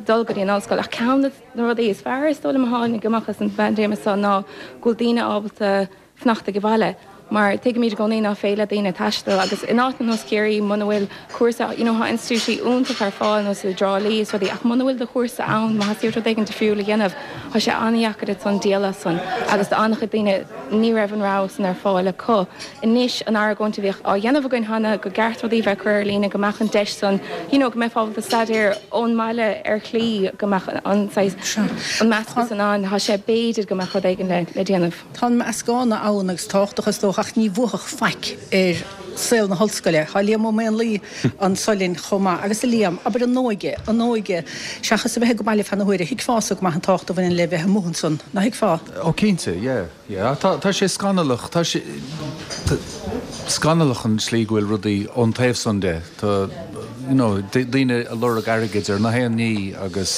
dul go dtí an ollscoil. Ach ceann de na rudaí is fearr is dóigh liom a tháinig amach as an bpaindéim seo ná go bhfuil daoine ábalta fanacht ag baile. Mar tuigimid i gcónaí ná féidir le daoine taisteal agus in áit ar nós Ciarraí muna bhfuil cúrsa, you know, tá institiúidí iontach ar fáil nós i dTrá Lí is rudaí ach muna bhfuil do chúrsa ann, má theastaíonn rud éigin difriúil a dhéanamh, tá sé an-dheacair duit san díol as san agus do an-chuid daoine ní raibh an rogha san ar fáil acu. Anois an argóint a bhíodh á dhéanamh againn cheana go gceart rudaí bheith curtha ar líne, go mbeadh an deis san, you know, go mbeifeá ábalta staidéar ón mbaile ar shlí go mbeadh an saghas, an meascadh san ann, tá sé b'fhéidir go mbeadh rud éigin le le déanamh. Tá an meascán ann agus tábhachtach is dócha ach ní bhuafadh faic ar saol na hollscoile. Tá Liam Ó Maonlaí anso linn chomh maith. Agus a Liam, abair an óige, an óige, seachas a bheith ag baile feadh na huaire, thuigfeása go maith an tábhacht a bhaineann le bheith amuigh ansan, nach dtuigfeá? Ó cinnte, yeah, yeah. Tá, tá sé scannalach, tá sé scannalach an tslí go bhfuil rudaí ón taobh san de. Tá, you know, daoine ag lorg airgid ar na haon ní agus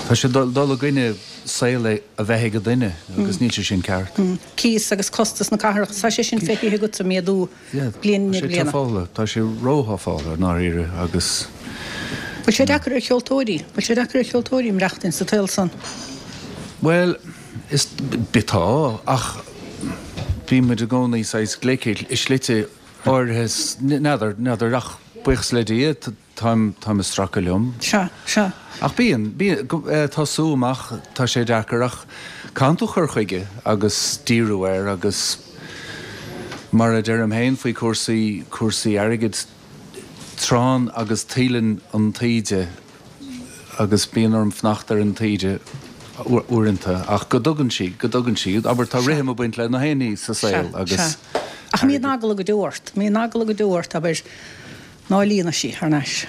tá sé dul i gcoinne saol a bheith ag duine agus níl sé sin ceart. Cíos agus costas na cathrach, tá sé sin feicthe agat ag méadú bliain i ndiaidh bliana. Tá sé tá sé rótháfála i ndáiríre agus. Bhfuil sé deacair ar cheoltóirí, bhfuil sé deacair ar cheoltóirí maireachtaint sa tsaol san? Bhuel, is tá, ach bíonn muid i gcónaí saghas glic i slite áirithe, n'fheadar, n'fheadar ach buíochas le Dia, táim, táim ag stracadh liom. Sea, sea. Ach bíonn, bíonn, tosú amach, tá sé deacair ach caitheann tú cur chuige agus díriú air agus mar a deirim féin faoi cúrsaí, cúrsaí airgid, tránn agus taoileann an taoide agus bíonn orm fanacht ar an taoide uaireanta ach go dtugann sí, go dtugann sí, abair tá rithim ag baint le na haon ní sa saol agus. Sea. Ach mbíonn eagla go deo ort, mbíonn eagla go deo ort, abair, ná líonfaidh sí thar n-ais.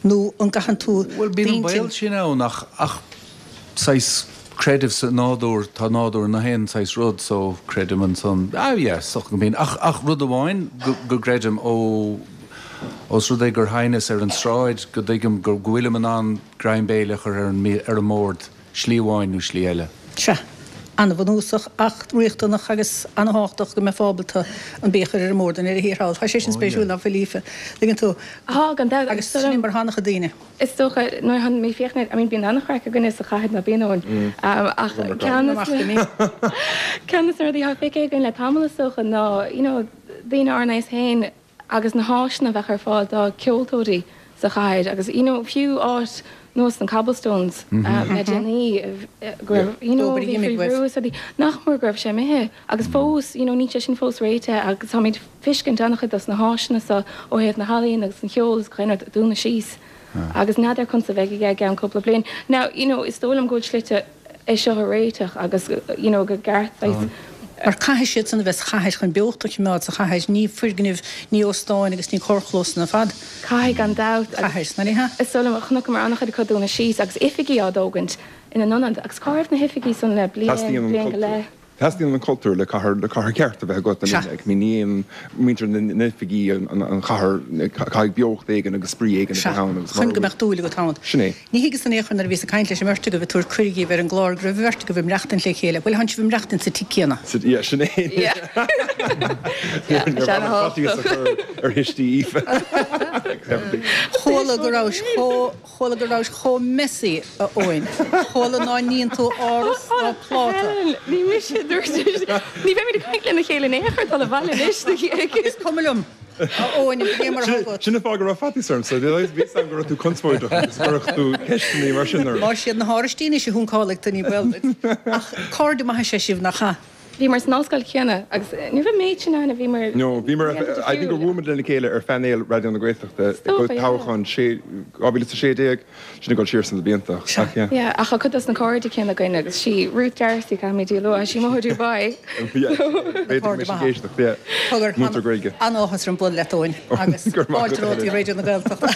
Nó an gcaitheann tú Bhuel bíonn an baol sin ann ach, ach saghas creideamh sa nádúr, tá nádúr na haon saghas rud so creidim ansan, ah yeah, is dócha go mbíonn. Ach, ach rud amháin go, go gcreidim ó, ós rud é gur sheinneas ar an tsráid go dtuigim go, go bhfuilim in ann greim béil a chur ar an, ar an mbord, slí amháin nó slí eile. Sea. An-bhunúsach ach riachtanach agus an-thábhachtach go mbeifeá ábalta an bia a chur ar an mbord i ndeireadh thiar thall. Tá sé sin spéisiúil ná fuil Aoife? Tuigeann tú? Tá, gan dabht. Agus sin é mar atá an-chuid daoine. Is dócha, nuair a mé féachaint, I mean bíonn an-chraic againne sa chathair ná bíonn ann. Ach ceann ceann de na rudaí atá feicthe againn le tamall is dócha ná, you know, daoine ár n-aos féin agus na háiseanna a bheadh ar fáil do ceoltóirí sa chathair agus, you know, fiú áit nós na Cobblestones le déanaí go raibh, you know, bhí faoi bhrú is rudaí, nach mór go raibh sé imithe agus fós, you know, níl sé sin fós réitithe agus táimid ag feiscint an-chuid dos na háiseanna seo ó thaobh na healaíon agus an cheoil is gach aon rud ag dúnadh síos agus n'fheadar conas a bheidh i gceann cúpla bliain. Now, you know, is dóigh liom go bhfuil slite é seo a réiteach agus, you know, go gceart saghas. Mar caithfidh siad san a bheith sa chathair chun beocht a choimeád sa chathair, ní foirgnimh, ní óstáin agus ní carrchlósanna ar fad. Caithfidh, gan dabht. Caithfidh, nach ea? Is dóigh liom, chonaiceamar an-chuid acu dúnadh síos agus oifigí á dtógaint ina n-ionad agus cá raibh na hoifigí san le bliain, bliain go leith? Teastaíonn an cultúr le cathair, le cathair ceart a bheith agat Sea. I mean, ní aon muintir na n-oifigí an chathair, caithfidh beocht éigin agus spraoi éigin a Sea. bheith ann agus Chun go mbeadh dúil agat ann. Sin é. Ní thuigeas in aon chor nuair a bhíos ag caint leis an mbeirt agaibh ag tabhairt cuireadh dhaoibh ar an gclár go raibh an bheirt agaibh ag maireachtaint le chéile. Bhuel, thánn sibh ag maireachtaint sa tigh céanna. Sa, yeah, sin é. Yeah. Yeah, Níor sin mhaith liom faitíos a chur ar thuistí Aoife. Chuala go rabhais chomh, chuala go rabhais chomh messy, a Eoin. Chuala ná níonn tú áras ná pláta. Helen, ní mise a dúirt é sin. Ní bheimid ag caint lena chéile in aon chor dul abhaile anois. Is cuma liom, a Eoin, cé mar atá agat. Sin an fáth go raibh faitíos ormsa. Bhí a fhios agam go raibh tú conspóideach agus cuirfeadh tú ceisteanna mar sin orm. Más iad na hárais anois a shuncálfaidh tú, ní baol duit. Ach cairde maithe is ea sibh, nach ea? Bhíomar san ollscoil chéanna agus ní raibh méid sin ann a bhíomar. No, bhíomar, I think gur bhuail muid lena chéile ar phainéal Raidió na Gaeltachta ag toghchán dhá mhíle is a sé déag, sin ag dul siar sna blianta, ach yeah. Yeah, ach tá cuid dos na cairde céanna againn agus sí Ruth D'Arcy, caithfimid í a lua, sí amuigh i Dubai. Yeah, b'fhéidir go mbeidh sí ag éisteacht, yeah. Múinteoir Gaeilge. An-áthas orm bualadh leat Eoin agus fáilte romhat i Raidió na Gaeltachta.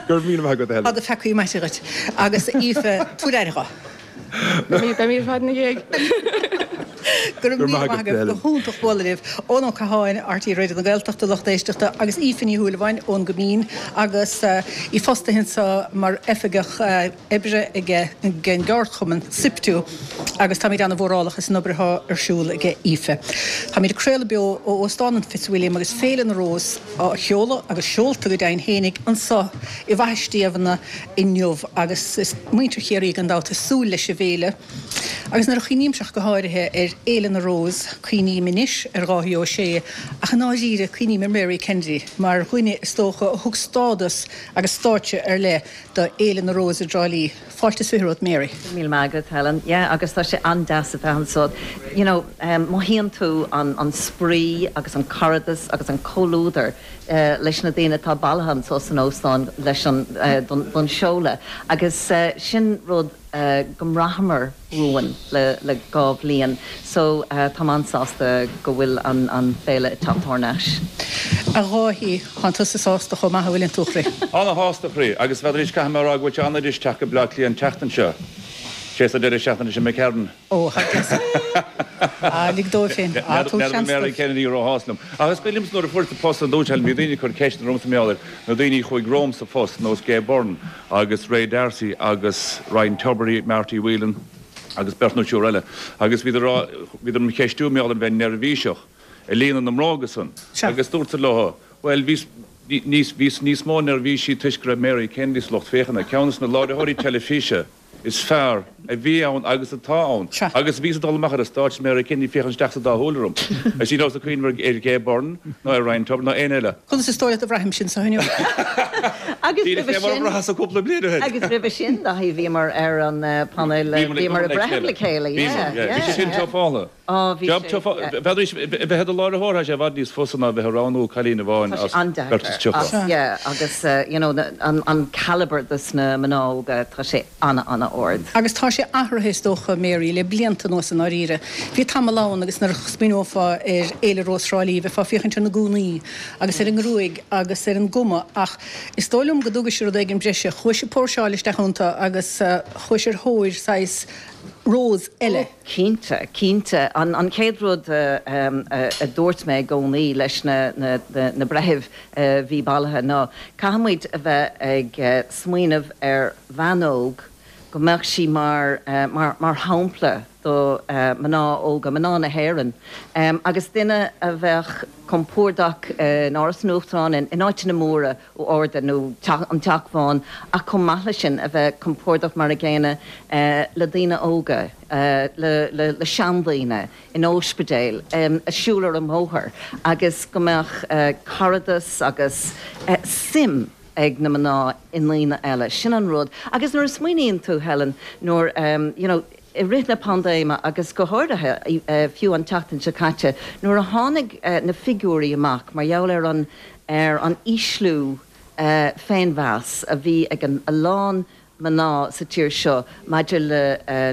Go raibh míle maith agat a Helen. Tá do pheacaí maite dhuit. Agus Aoife, tabhair aire dho. Beimid ar fad ina dhiaidh. Go raibh míle maith agaibh, go hiontach bualadh libh. Eoin Ó Catháin, RTÉ Raidió na Gaeltachta, lucht éisteachta, agus Aoife Ní Shúilleabháin ón gCoimín agus í fostaithe anseo mar oifigeach oibre ag an gceardchumann SIPTU agus táimid ana-mhórálach as an obair atá ar siúl ag Aoife. Táimid ag craoladh beo ó Óstán an Fitzwilliam agus Féile na Rós á sheoladh agus seolta go deimhin fhéinig anseo i bhFaiche Stiabhna inniu agus is muintir Chiarraí gan dabht ag súil leis an bhféile. Agus nuair a chuimhnímse ach go háirithe ar Fhéile na Rós, cuimhním anois ar Dháithí Ó Sé, ach i ndáiríre cuimhním ar Mary Kennedy mar dhuine is dócha a thug stádas agus stáitse ar leith do Fhéile na Rós i dTrá Lí. Fáilte is fiche romhat Mary. Go raibh míle maith agat Helen. Yeah agus tá sé an-deas a bheith anseo. You know, mothaíonn tú an an spraoi agus an caradas agus an comhluadar leis na daoine atá bailithe anseo san óstán leis an don seoladh agus sin rud go mbraitheamar uainn le le dhá bhliain so táim an-sásta go bhfuil an an féile ag teacht thar n-ais. A Dháithí, tánn tusa sásta chomh maith, an bhfuileann tú a chroí? Ana-shásta a chroí, agus n'fheadar caithfidh mé a rá go bhfuil sé an-deas teacht go Bleá Cliath an tseachtain seo. Sé sa deireadh seachtaine sin McCarron. Ó, thar cionn. Ah, lig dóibh féin. Ah, tabhair seans Mary dóibh. Kennedy róshásta liom. Ach is cuimhin liomsa nuair a fuaireas an post an dúirt Helen, bhí daoine ag cur ceisteanna ormsa mar gheall ar na daoine a chuaigh romham sa phost, nós Gay Byrne agus Ray D'Arcy agus Ryan Tubridy, Marty Whelan agus beirt nó triúr eile. Agus bhíodar á rá, bhíodar im cheistiú mar gheall ar bheith neirbhíseach ag líonadh na mbróga san. Sea. Agus dúrtsa leo, bhuel, bhíos, níos, bhíos níos mó neirbhísí toisc go raibh Mary Kennedy sa lucht féachana, ceann de na láithreoirí teilifíse is fearr a bhí ann agus atá ann. Sea. Agus bhíos ag dul amach ar an stáitse is Mary Kennedy ag féachaint isteach sa dá shúil orm. Is ní rabhas ag cuimhneamh ar Gay Byrne ná ar Ryan Tubridy ná éinne eile. Conas is dóigh leat a bhraithim sin so inniu? Agus Díreach roimhe é mar a sin, bhraitheas cúpla bliain ó shin. agus roimhe sin, Dáithí, bhíomar ar an painéal, Bhíomar ag bhíomar obair ag le breitheamh chéile. le chéile, Bhíomar, yeah, yeah. Bhí sé yeah, sin yeah. tufála. Á, bhí Job sé, tough. yeah. Bheadh a bheith i do láithreoir, tá sé i bhfad níos fusa ná a bheith ag roghnú cailín amháin Tá sé as beirt is an-deacair. tríocha. Ach, yeah, agus, you know, an, an calibre dos na mná óga, tá sé ana-ana-ard. Agus tá sé athraithe is dócha, Mary, le blianta anuas i ndáiríre. Bhí tamall ann agus nuair a smaoineofá ar Fhéile Rós Thrá Lí, bheifeá ag féachaint ar na gúnaí agus ar an ngruaig agus ar an gcuma ach is dóigh liom go dtugaís rud éigin breise. Chuais ag póirseáil isteach iontu agus chuais ar thóir saghas Rós eile. Ó, cinnte, cinnte. An an chéad rud a dúirt mé i gcónaí leis na na breithimh a bhí bailithe ná caithfimid a bheith ag smaoineamh ar bhean óg go mbeadh sí mar mar mar shampla do mná óga, mná na hÉireann, agus duine a bheadh compordach in Áras an Uachtaráin, in áiteanna móra arda nó an Teach Bán ach chomh maith leis sin a bheith compordach mar a gcéanna le daoine óga, le le seandaoine, in ospidéil, ag siúl ar an mbóthar agus go mbeadh caradas agus suim ag na mná i ndaoine eile. Sin an rud. Agus nuair a smaoiníonn tú, Helen, nuair, you know, i rith na paindéime agus go háirithe fiú an tseachtain seo caite, nuair a tháinig na figiúirí amach mar gheall ar an ar an ísliú féinmheas a bhí ag a lán mná sa tír seo maidir le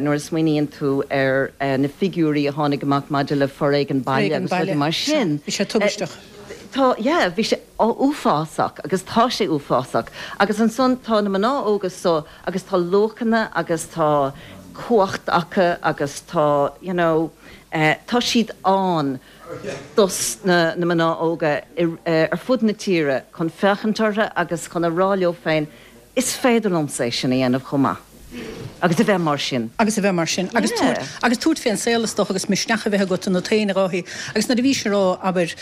nuair a smaoiníonn tú ar na figiúirí a tháinig amach maidir le foréigean baile Foréigean agus rudaí baile, mar sea. sin. Bhí sé tubaisteach. Tá, yeah, bhí sé uafásach agus tá sé uafásach. Agus ansan tá na mná óga so agus tá luachanna agus tá cumhacht acu agus tá, you know, tá siad ann dos na na mná óga ar fud na tíre chun féachaint orthu agus chun a rá leo féin, is féidir liomsa é sin a dhéanamh chomh maith. Agus a bheith mar sin. Agus a bheith mar sin. Agus Yeah. tabhairt, agus tabhairt fén saol is dócha agus misneach a bheith agat ionat féin a Dháithí. Agus nuair a bhís ag rá, abair,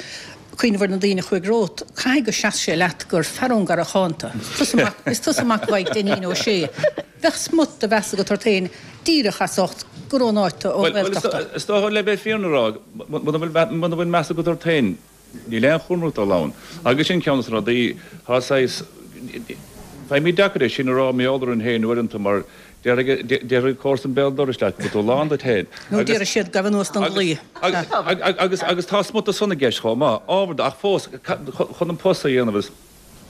cuimhneamh ar na daoine a chuaigh romhat, caithfidh go seas sé leat gur fear ón gCarrachán tú. Is tusa mac, is tusa mac Mhaidhc Dainín Ó Sé. Bheadh smut de mheas agat ort féin díreach as ucht gur ón áit tú, ón Bhuel, bhuel, Ghaeltacht tú. is dócha le bheith fírinne a rá, muna bhfuil, muna bhfuil meas agat ort féin, níl aon chúram ort dul ann. Agus sin ceann de na rudaí, tá saghas, Faighimid deacair é sin a rá mar gheall orainn féin uaireanta mar déarfaidh comharsan béal dorais leat go bhfuil tú lán duit féin. Nó déarfaidh siad gabh anuas don dlaoi. Agus agus tá smut de san i gceist chomh maith, ábhar de, ach fós, chun an post a dhéanamh is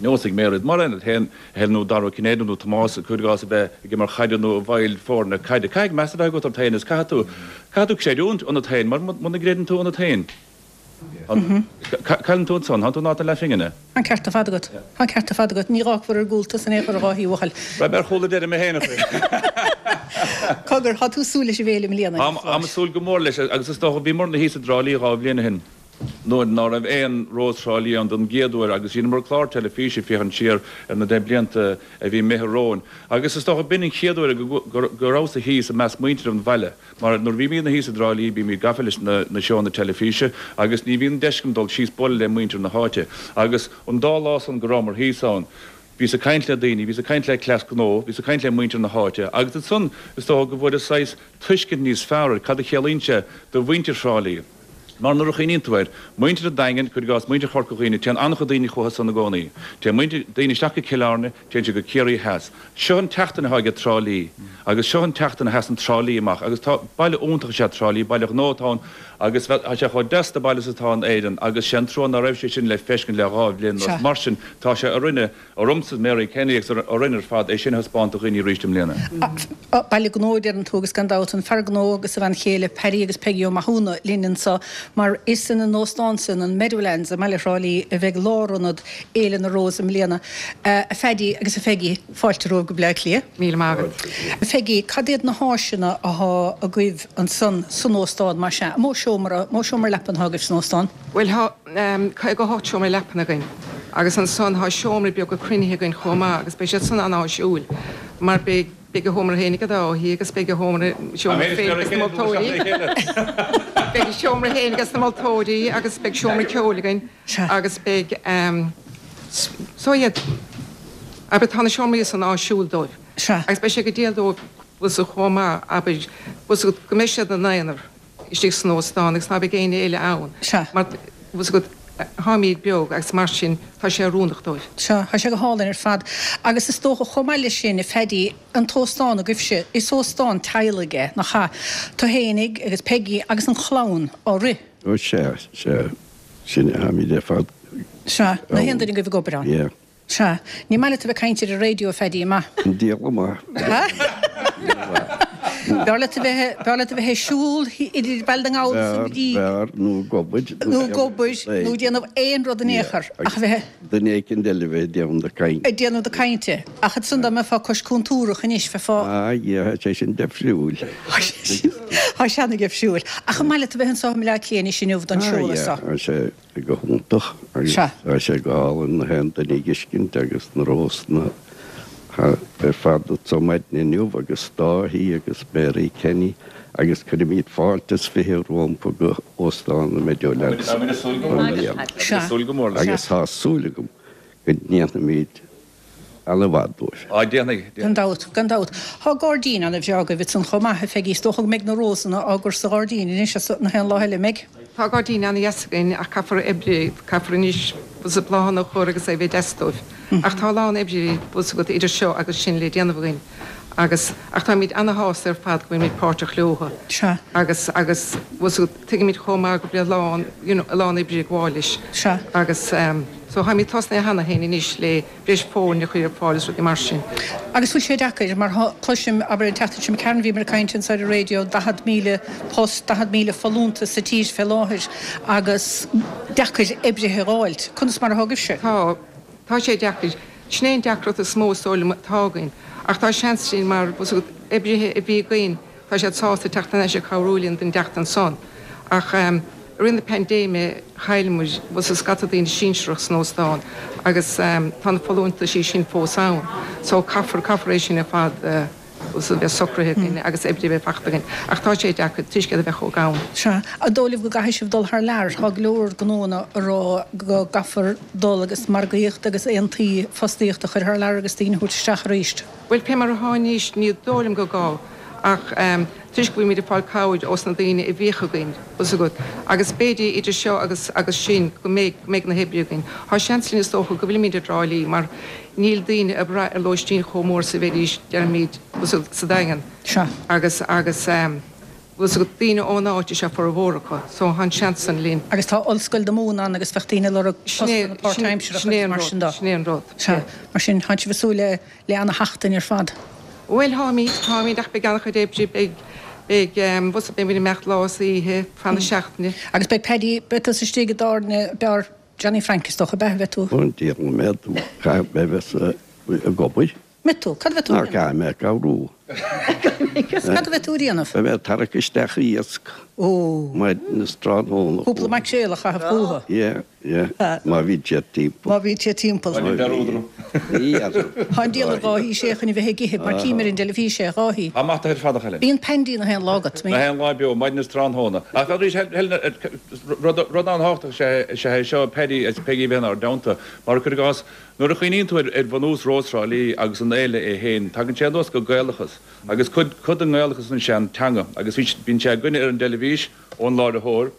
nós ag Mairéad mar aon féin, Helen nó Dara Ó Cinnéide nó Tomás, cuir i gcás, a bheith ag imirt chaide nó i bhfeighil foirne caide. Caithfidh meas a bheith agat ort féin is caithfidh tú, caithfidh tú creidiúint ionat féin mar muna gcreideann tú ionat féin, cailleann tú ansan, thánn tú in áit na leathphingine. Tá an ceart ar fad agat. Tá an ceart ar fad agat. Ní dh'fhágfar ar gcúl tusa in aon chor a Dháithí, a bhuachaill. Raibh mé ar chúl a deireadh mé féin a chroí. Cogar, tá tú ag súil leis an bhféile i mbliana, Táim ag súil go mór leis agus is dócha, bhíomarna thíos i dTrá Lí dhá bhliain ó shin. nuair ná raibh aon Rós Thrá Lí ann don gcéad uair agus dheineamar clár teilifíse féachaint siar ar na deich blianta a bhí imithe romhainn agus is dócha b'in an chéad uair go rabhas-sa thíos i measc muintir an bhaile mar nuair a bhímídne thíos i dTrá Lí bímíd gafa leis na seónna teilifíse agus ní bhíonn deis agam dul síos bualadh le muintir na háite agus an dá lá san go rabhamar thíos ann bhíos ag caint le daoine, bhíos ag caint le cleas gnó, bhíos ag caint le muintir na háite agus ansan is dócha go bhfuaireas saghas tuiscint níos fearr ar cad a chiallaíonn sé do mhuintir Thrá Lí. Mar nuair a chuimhníonn tú air, muintir an Daingin, cuir i gcás, muintir Chorca Dhuibhne, téann an-chuid daoine chucu san i gcónaí. Téann muintir, daoine isteach go Cill Airne, téann siad go Ciarraí Theas. Seo an tseachtain atá aige Trá Lí agus seo an tseachtain a sheasann Trá Lí amach agus tá, baile iontach is ea Trá Lí, baile gnó atá ann agus tá sé chomh deas de baile is atá in Éirinn agus sé an trua ná raibh sé sin le feiscint le dhá bhliain anuas. Mar sin, tá sé orainne, ormsa, Mary Kenny agus orainn ar fad é sin a thaispeáint do dhaoine arís i mbliana. Baile gnó, a deireann tú, agus gan dabht, an fear gnó agus a bhean chéile, Paddy agus Peggy Ó Mathúna, linn anseo, mar is ina n-óstán san, an Meadowlands i mbaile Thrá Lí, a bheidh lárionad Fhéile na Rós i mbliana. A Phaddy agus a Pheggy, fáilte romhaibh go Bleá Cliath. Míle maith agat. A Pheggy, cad iad na háiseanna athá agaibh ansan san óstán, más ea? An mó seomra, mó seomra leapan athá agaibh san óstán? Bhuel, tá caoga a hocht seomra leapan againn agus ansan tá seomraí beaga cruinnithe againn chomh maith agus beidh siad san an-áisiúil mar beidh beidh a sheomra féin ag Dáithí agus beidh a sheomra seomra féin ag na moltóirí beidh a seomra féin ag na moltóirí agus beidh seomra ceoil againn agus beidh so yeah abair tá na seomraí san áisiúil dóibh agus beidh sé go diail dóibh chomh maith abair go mbeidh siad ina n-aonar. istigh san óstán agus ná beidh éinne eile ann mar bhfuil 's agat táimíd beag agus mar sin tá sé oiriúnach dóibh. Sea, tá sé go hálainn ar fad. Agus is dócha chomh maith leis sin, a Phaddy, an t-óstán agaibhse, is óstán teaghlaigh é, nach ea? Tú fhéinig agus Peggy agus an chlann á rith. Ó sea, sea, sin é, táimíd ar fad Sea, na haon duine agaibh ag obair ann. Yeah. Sea. Ní maith leat a bheith ag caint ar an raidió, a Phaddy, an maith? An diabhal maith. B'fhearr leat a bheith, b'fhearr leat a bheith ag siúl idir Baile na nGall is an Rí. B'fhearr, nó ag obair. Nó ag obair, nó ag déanamh aon rud in aon chor, ach a bheith. Duine éicint eile a bheith ag déanamh na cainte. Ag déanamh na cainte. Ach ansan dá mbeifeá cois cúntúrach anois, bheifeá. Ah, yeah, tá sé sin deifriúil. Tá sé ana-dheifriúil. Ach an maith leat a bheith anseo i mBleá Cliath anois inniu don seoladh Ah, seo? yeah, tá sé. go hiontach agus tá sé go hálainn na haon duine a dh'fheiscint agus na rósanna ar fad anso maidin inniu agus Dáithí agus Mary Kenny agus cuirimid fáilte is fiche rompu go Óstán na Meadowlands i mbliana agus tá súil agam go ndéanfaimid ana-mhaith dóibh. Á, déanfaidh. Gan dabht, gan dabht. Tá gairdín ana-bhreá agaibh ansan chomh maith, a Pheggy. Is dócha go mbeidh na rósanna á gcur sa ghairdín anois as na haon lá eile, an mbeidh? Tá gairdín ana-dheas againn ach caithfear oibre, caithfear anois bhfuil 's agat bláthanna a chur agus é a bheith deas dóibh. Ach tá a lán oibre, bhfuil 's agat, idir seo agus sin le déanamh againn agus, ach táimid ana-shásta ar fad go bhfuilimid páirteach leotha. Sea. Agus, agus, bhfuil 's agat, tuigimid chomh maith go bhfuil a lán, you know, a lán oibre ag gabháil leis. Sea. Agus eh, so táimid tosnaithe cheana féin anois le breis foirne a chur ar fáil is rudaí mar sin. Agus bhfuil sé deacair, mar cloisim, abair an tseachtain seo imigh tharainn bhíomar ag caint anseo ar an raidió, daichead míle post, daichead míle folúntas sa tír fé láthair agus deacair oibrithe a dh'fháilt. Conas mar atá agaibhse? Tá. Tá sé deacair. Sin é an deacracht is mó is dóigh liom atá againn. Ach tá seans againn mar, bhfuil 's agat, oibrithe a bhí againn, tá siad sásta teacht thar n-ais ag cabhrú linn don tseachtain san. Ach i rith na paindéime chaill muid, bhfuil 's agat, scata daoine sinsearach san óstán agus tá na folúntaisí sin fós ann. So caithfear, caithfear é sin ar fad bhfuil 's agat, bheith socraithe againn agus oibrithe a bheith fachta againn. Ach tá sé deacair toisc iad a bheith chomh gann. Sea. An dóigh libh go gcaithfidh sibh dul thar lear? Tá go leor gnóanna a rá go gcaithfear dul agus margaíocht agus aontaí fostaíochta a chur thar lear agus daoine a thabhairt isteach arís. Bhuel, pé mar atá anois, ní dóigh liom gur gá. Ach toisc go bhfuilimid ag fáil cabhair ós na daoine a bhíodh againn, bhfuil 's agat, agus b'fhéidir idir seo agus agus sin go mbeidh go mbeidh na hoibrithe againn. Tá seans linn is dócha go bhfuilimid i dTrá Lí mar níl daoine ag brath ar lóistín chomh mór is a bheidís, deirimid, bhfuil 's agat, sa Daingean. Sea. Agus agus bhfuil 's agat, daoine ón áit is ea formhór acu, so tá an seans san linn. Agus tá Ollscoil na Mumhan ann agus bheadh daoine ag lorg postanna páirtaimseartha agus mar sin de. Sin é an rud. Sea. Mar sin, tá sibh ag súil le le ana-sheachtain ar fad. Bhuel, táimid, táimid, ach beidh an-chuid oibre, beidh, beidh, bhfuil 's agat, beimid ag imeacht lá is oíche, fan na seachtaine. Agus beidh Paddy, beidh tusa istigh i dtábhairne beár Johnny Frank, is dócha, ab ea, bheidh tú? Ó, an diabhal a mbeidh tú, caithfidh mé bheith sa, ag obair. Mbeidh tú? Cad a bheidh tú a dhéanamh? Caithfidh mé cabhrú. Cad a bheidh tú a dhéanamh? Beidh mé ag tarrac isteach iasc. Ó. Maidin is tráthnóna. Cúpla maicréal a chaitheamh chucu. Yeah, yeah. Má bhíonn siad timpeall. Má bhíonn siad timpeall. Má bhíonn dearúd orm. Ní dhearúd. Tá an diabhal ar Dháithí Sé chun a bheith ag ithe, mar cím ar an dteilifís é, a Dháithí. Tá maith ar fad a chailín. Bíonn Pandy na haon lá agat. Na haon lá beo, maidin is tráthnóna. Ach arís, Helen, rud an-thábhachtach is ea é seo, Paddy is Peggy a bheith inár dteannta. Mar cuir i gcás, Nuair a chuimhníonn tú ar bhunús Rós Thrá Lí agus an fhéile é féin, tagann sé anuas go Gaelachas. Agus cuid cuid den nGaelachas is ea an teanga. Agus bhí bíonn sé againne ar an dteilifís ón láithreoir,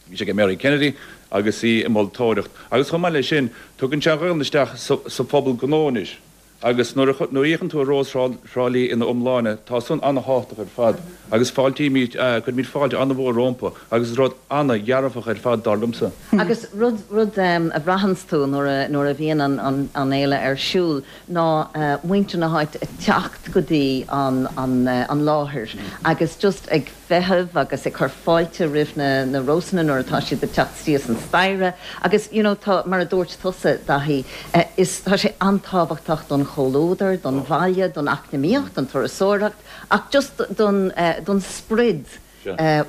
bhí sé ag Mary Kennedy agus í ag moltóireacht. Agus chomh maith leis sin, tugann sé an Ghaelainn isteach sa sa phobal gnó anois. Agus nuair a nuair a fhéachann tú ar Rós Thrá Lí ina iomláine, tá san an-thábhachtach ar fad. Agus fáiltímid, cuirimid fáilte an-mhór rompu agus is rud an-dhearfach ar fad, dar liomsa. Agus rud, rud a bhraitheanns tú nuair a, nuair a bhíonn an, an, an fhéile ar siúl ná muintir na háite ag teacht go dtí an, an, an láthair agus just ag feitheamh agus ag cur fáilte roimh na, na rósanna nuair atá siad ag teacht síos an staighre agus you know tá, mar a dúirt tusa, Daithí, is, tá sé an-tábhachtach don chomhluadar, don bhaile, don eacnamaíocht, don turasóireacht ach just don, don sprid,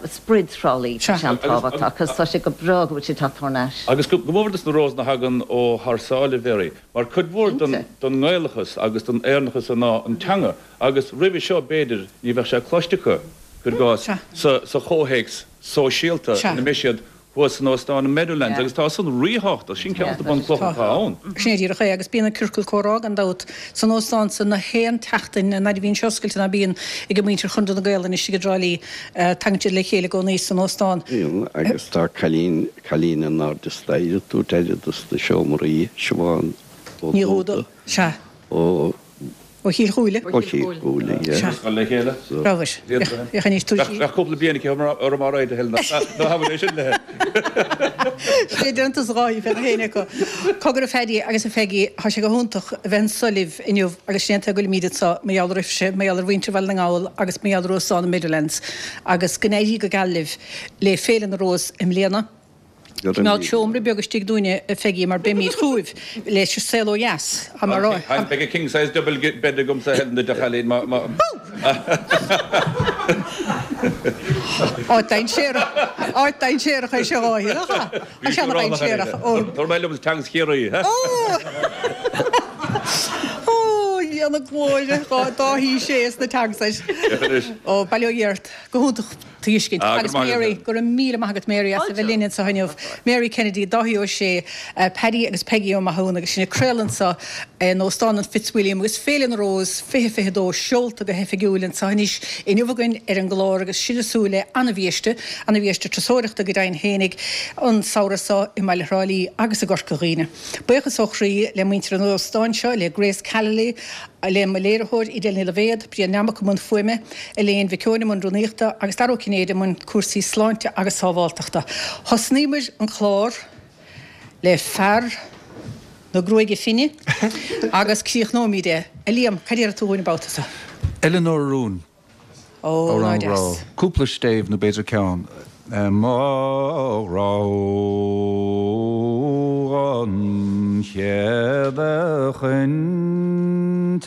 sprid Thrá Lí, tá sé an-tábhachtach agus tá sé go breá go bhfuil sé ag teacht thar n-ais. Agus go mór dos na rósanna a thagann ó thar sáile, Mary, mar cuid mhór den nGaelachas agus den Éireannachas ná an teanga agus roimhe seo b'fhéidir ní bheadh sé cloiste acu, cuir i gcás, sa chomhthéacs sóisialta ina mbeidh siad thuas san óstán in Meadowlands agus tá san ríthábhachtach, sin ceann de na bunchlocha atá ann. Sin é díreach é agus bíonn an ciorcal comhrá gan dabht san óstán san na haon tseachtain an fhaid a bhíonn sé oscailte ná bíonn ag muintir Chonradh na Gaelainne istigh i dTrá Lí, tagann siad le chéile i gcónaí san óstán. Bíonn agus tá cailín, cailín in airde staighre ag tabhairt aire dos na seomraí, Siobhán Ó Ní Dhúda. Sea. Ó. Ó Chill Chúile. Ó Chill Chúile, yeah. Sea. Scoil le chéile. Rabhais. Féach anois, tabhair sí. Bheadh cúpla bliain aici orm á rá, a Helen, ná habair é sin léi. Sé déanta sa Dháithí fé na héinne acu. Cogar a Phaddy agus a Pheggy, tá sé go hiontach a bheith anso libh inniu agus sin é an tuige go bhfuilimid anso, mar gheall oraibhse, mar gheall ar mhuintir Bhaile na nGall agus mar gheall ar Óstán na Meadowlands agus go n-éirí go geal libh le Féile na Rós i mbliana. Coimeád seomra beag istigh dúinne, a Pheggy, mar beimid chugaibh leis an saol ó dheas. Tá mé a rá. Beidh king size double bed agamsa, a Helen, duit, a chailín, má. Áit dainséarach, áit dainséarach é seo, a Dháithí, nach ea? Tá sé ana-dhainséarach. Tabharfaidh mé liom teangas Chiarraí. Ó! Ó, a Dhia na glóire, Dáithí Sé sna teagasais. Ó, bail ó Dhia ort. Go hiontach. Tuiscint. Agus Mary, go raibh míle maith agat Mary as a bheith linn anseo inniu. Mary Kennedy, Dáithí Ó Sé, Paddy agus Peggy Ó Mathúna agus sinn ag craoladh anseo in Óstán an Fitzwilliam agus Féile na Rós fiche fiche dó seolta go hoifigiúil anseo anois inniu againn ar an gclár agus sinn ag súil le ana-bhiaiste, ana-bhiaiste turasóireachta go deimhin fhéinig an samhradh seo i mbaile Thrá Lí agus i gCorca Dhuibhne. Buíochas ó chroí le muintir an óstáin seo, le Grace Callely, le mo léiritheoir, Edel Ní Loibhéad, Brian Nammock i mbun fuaime, Elaine Mhic Eoin i mbun rúnaíochta agus Dara Ó Cinnéide i mbun cúrsaí sláinte agus sábháltachta. Thosnaíomar an clár le fear na gruaige finne agus críochnóimid é. A Liam, cad a déarfaidh tú dhúinn an babhta seo? Eileanóir Rún. Ó, ná Amhrán grá. deas. Cúpla stéibh nó b'fhéidir ceann. Mo ghrá an chéad a chaint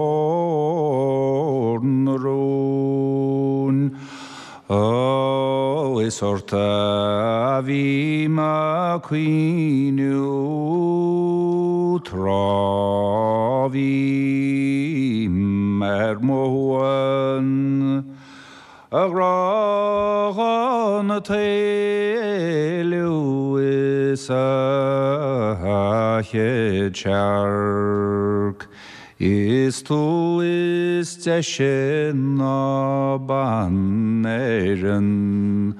Eileanóir na Rún. Ó, is ort a bhí mé cuimhniú tráth bhí ar mo shuan, a ghrá an t-éilliú is a chéad searc. Is tú is deise ná bean Éireann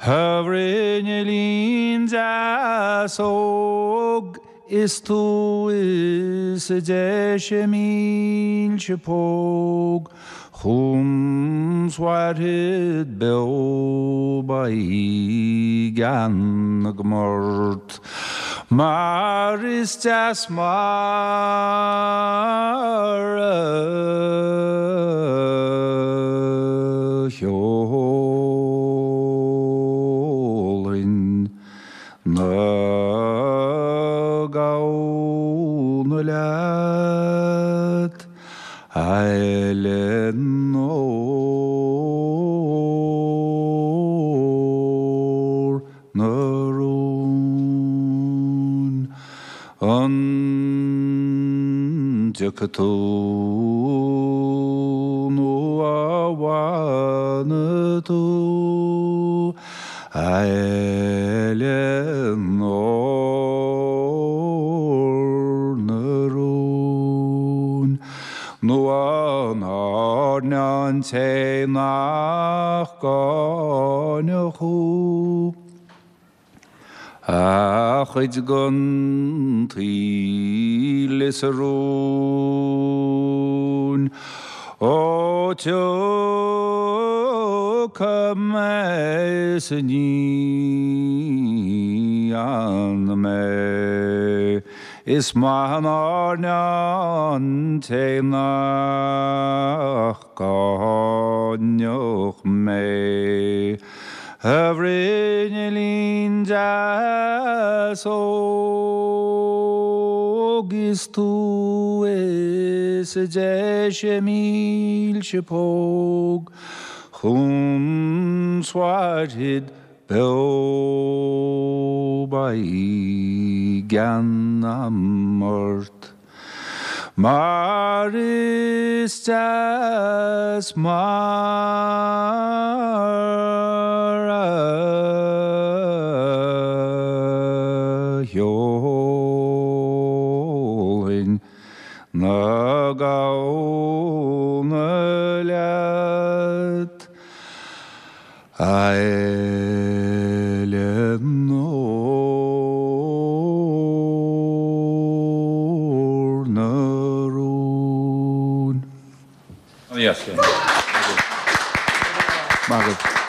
A bhruinneallín deas óg Is tú is deise mílse póg Chugam 's mhairfead beo beidh gean agam ort Mar is deas mar a cheolfainn na gamhna leat A Eileanóir na Rún An dtiocfaidh tú nó an bhfanfaidh tú A Eileanóir na Rún Nó an airne an té nach gcáineadh thú A chuid den tsaol is a rúin Ó tiocfaidh mé is ní fhanfaidh mé Is maith an airne an té nach gcáineadh mé A bhruinneallín deas óg is tú is deise mílse póg Chugam 's mhairfead beo beidh gean agam ort Mar is deas mar a cheolfainn na gamhna leat A Eileanóir na Rún. Yes, yeah. Maith agat.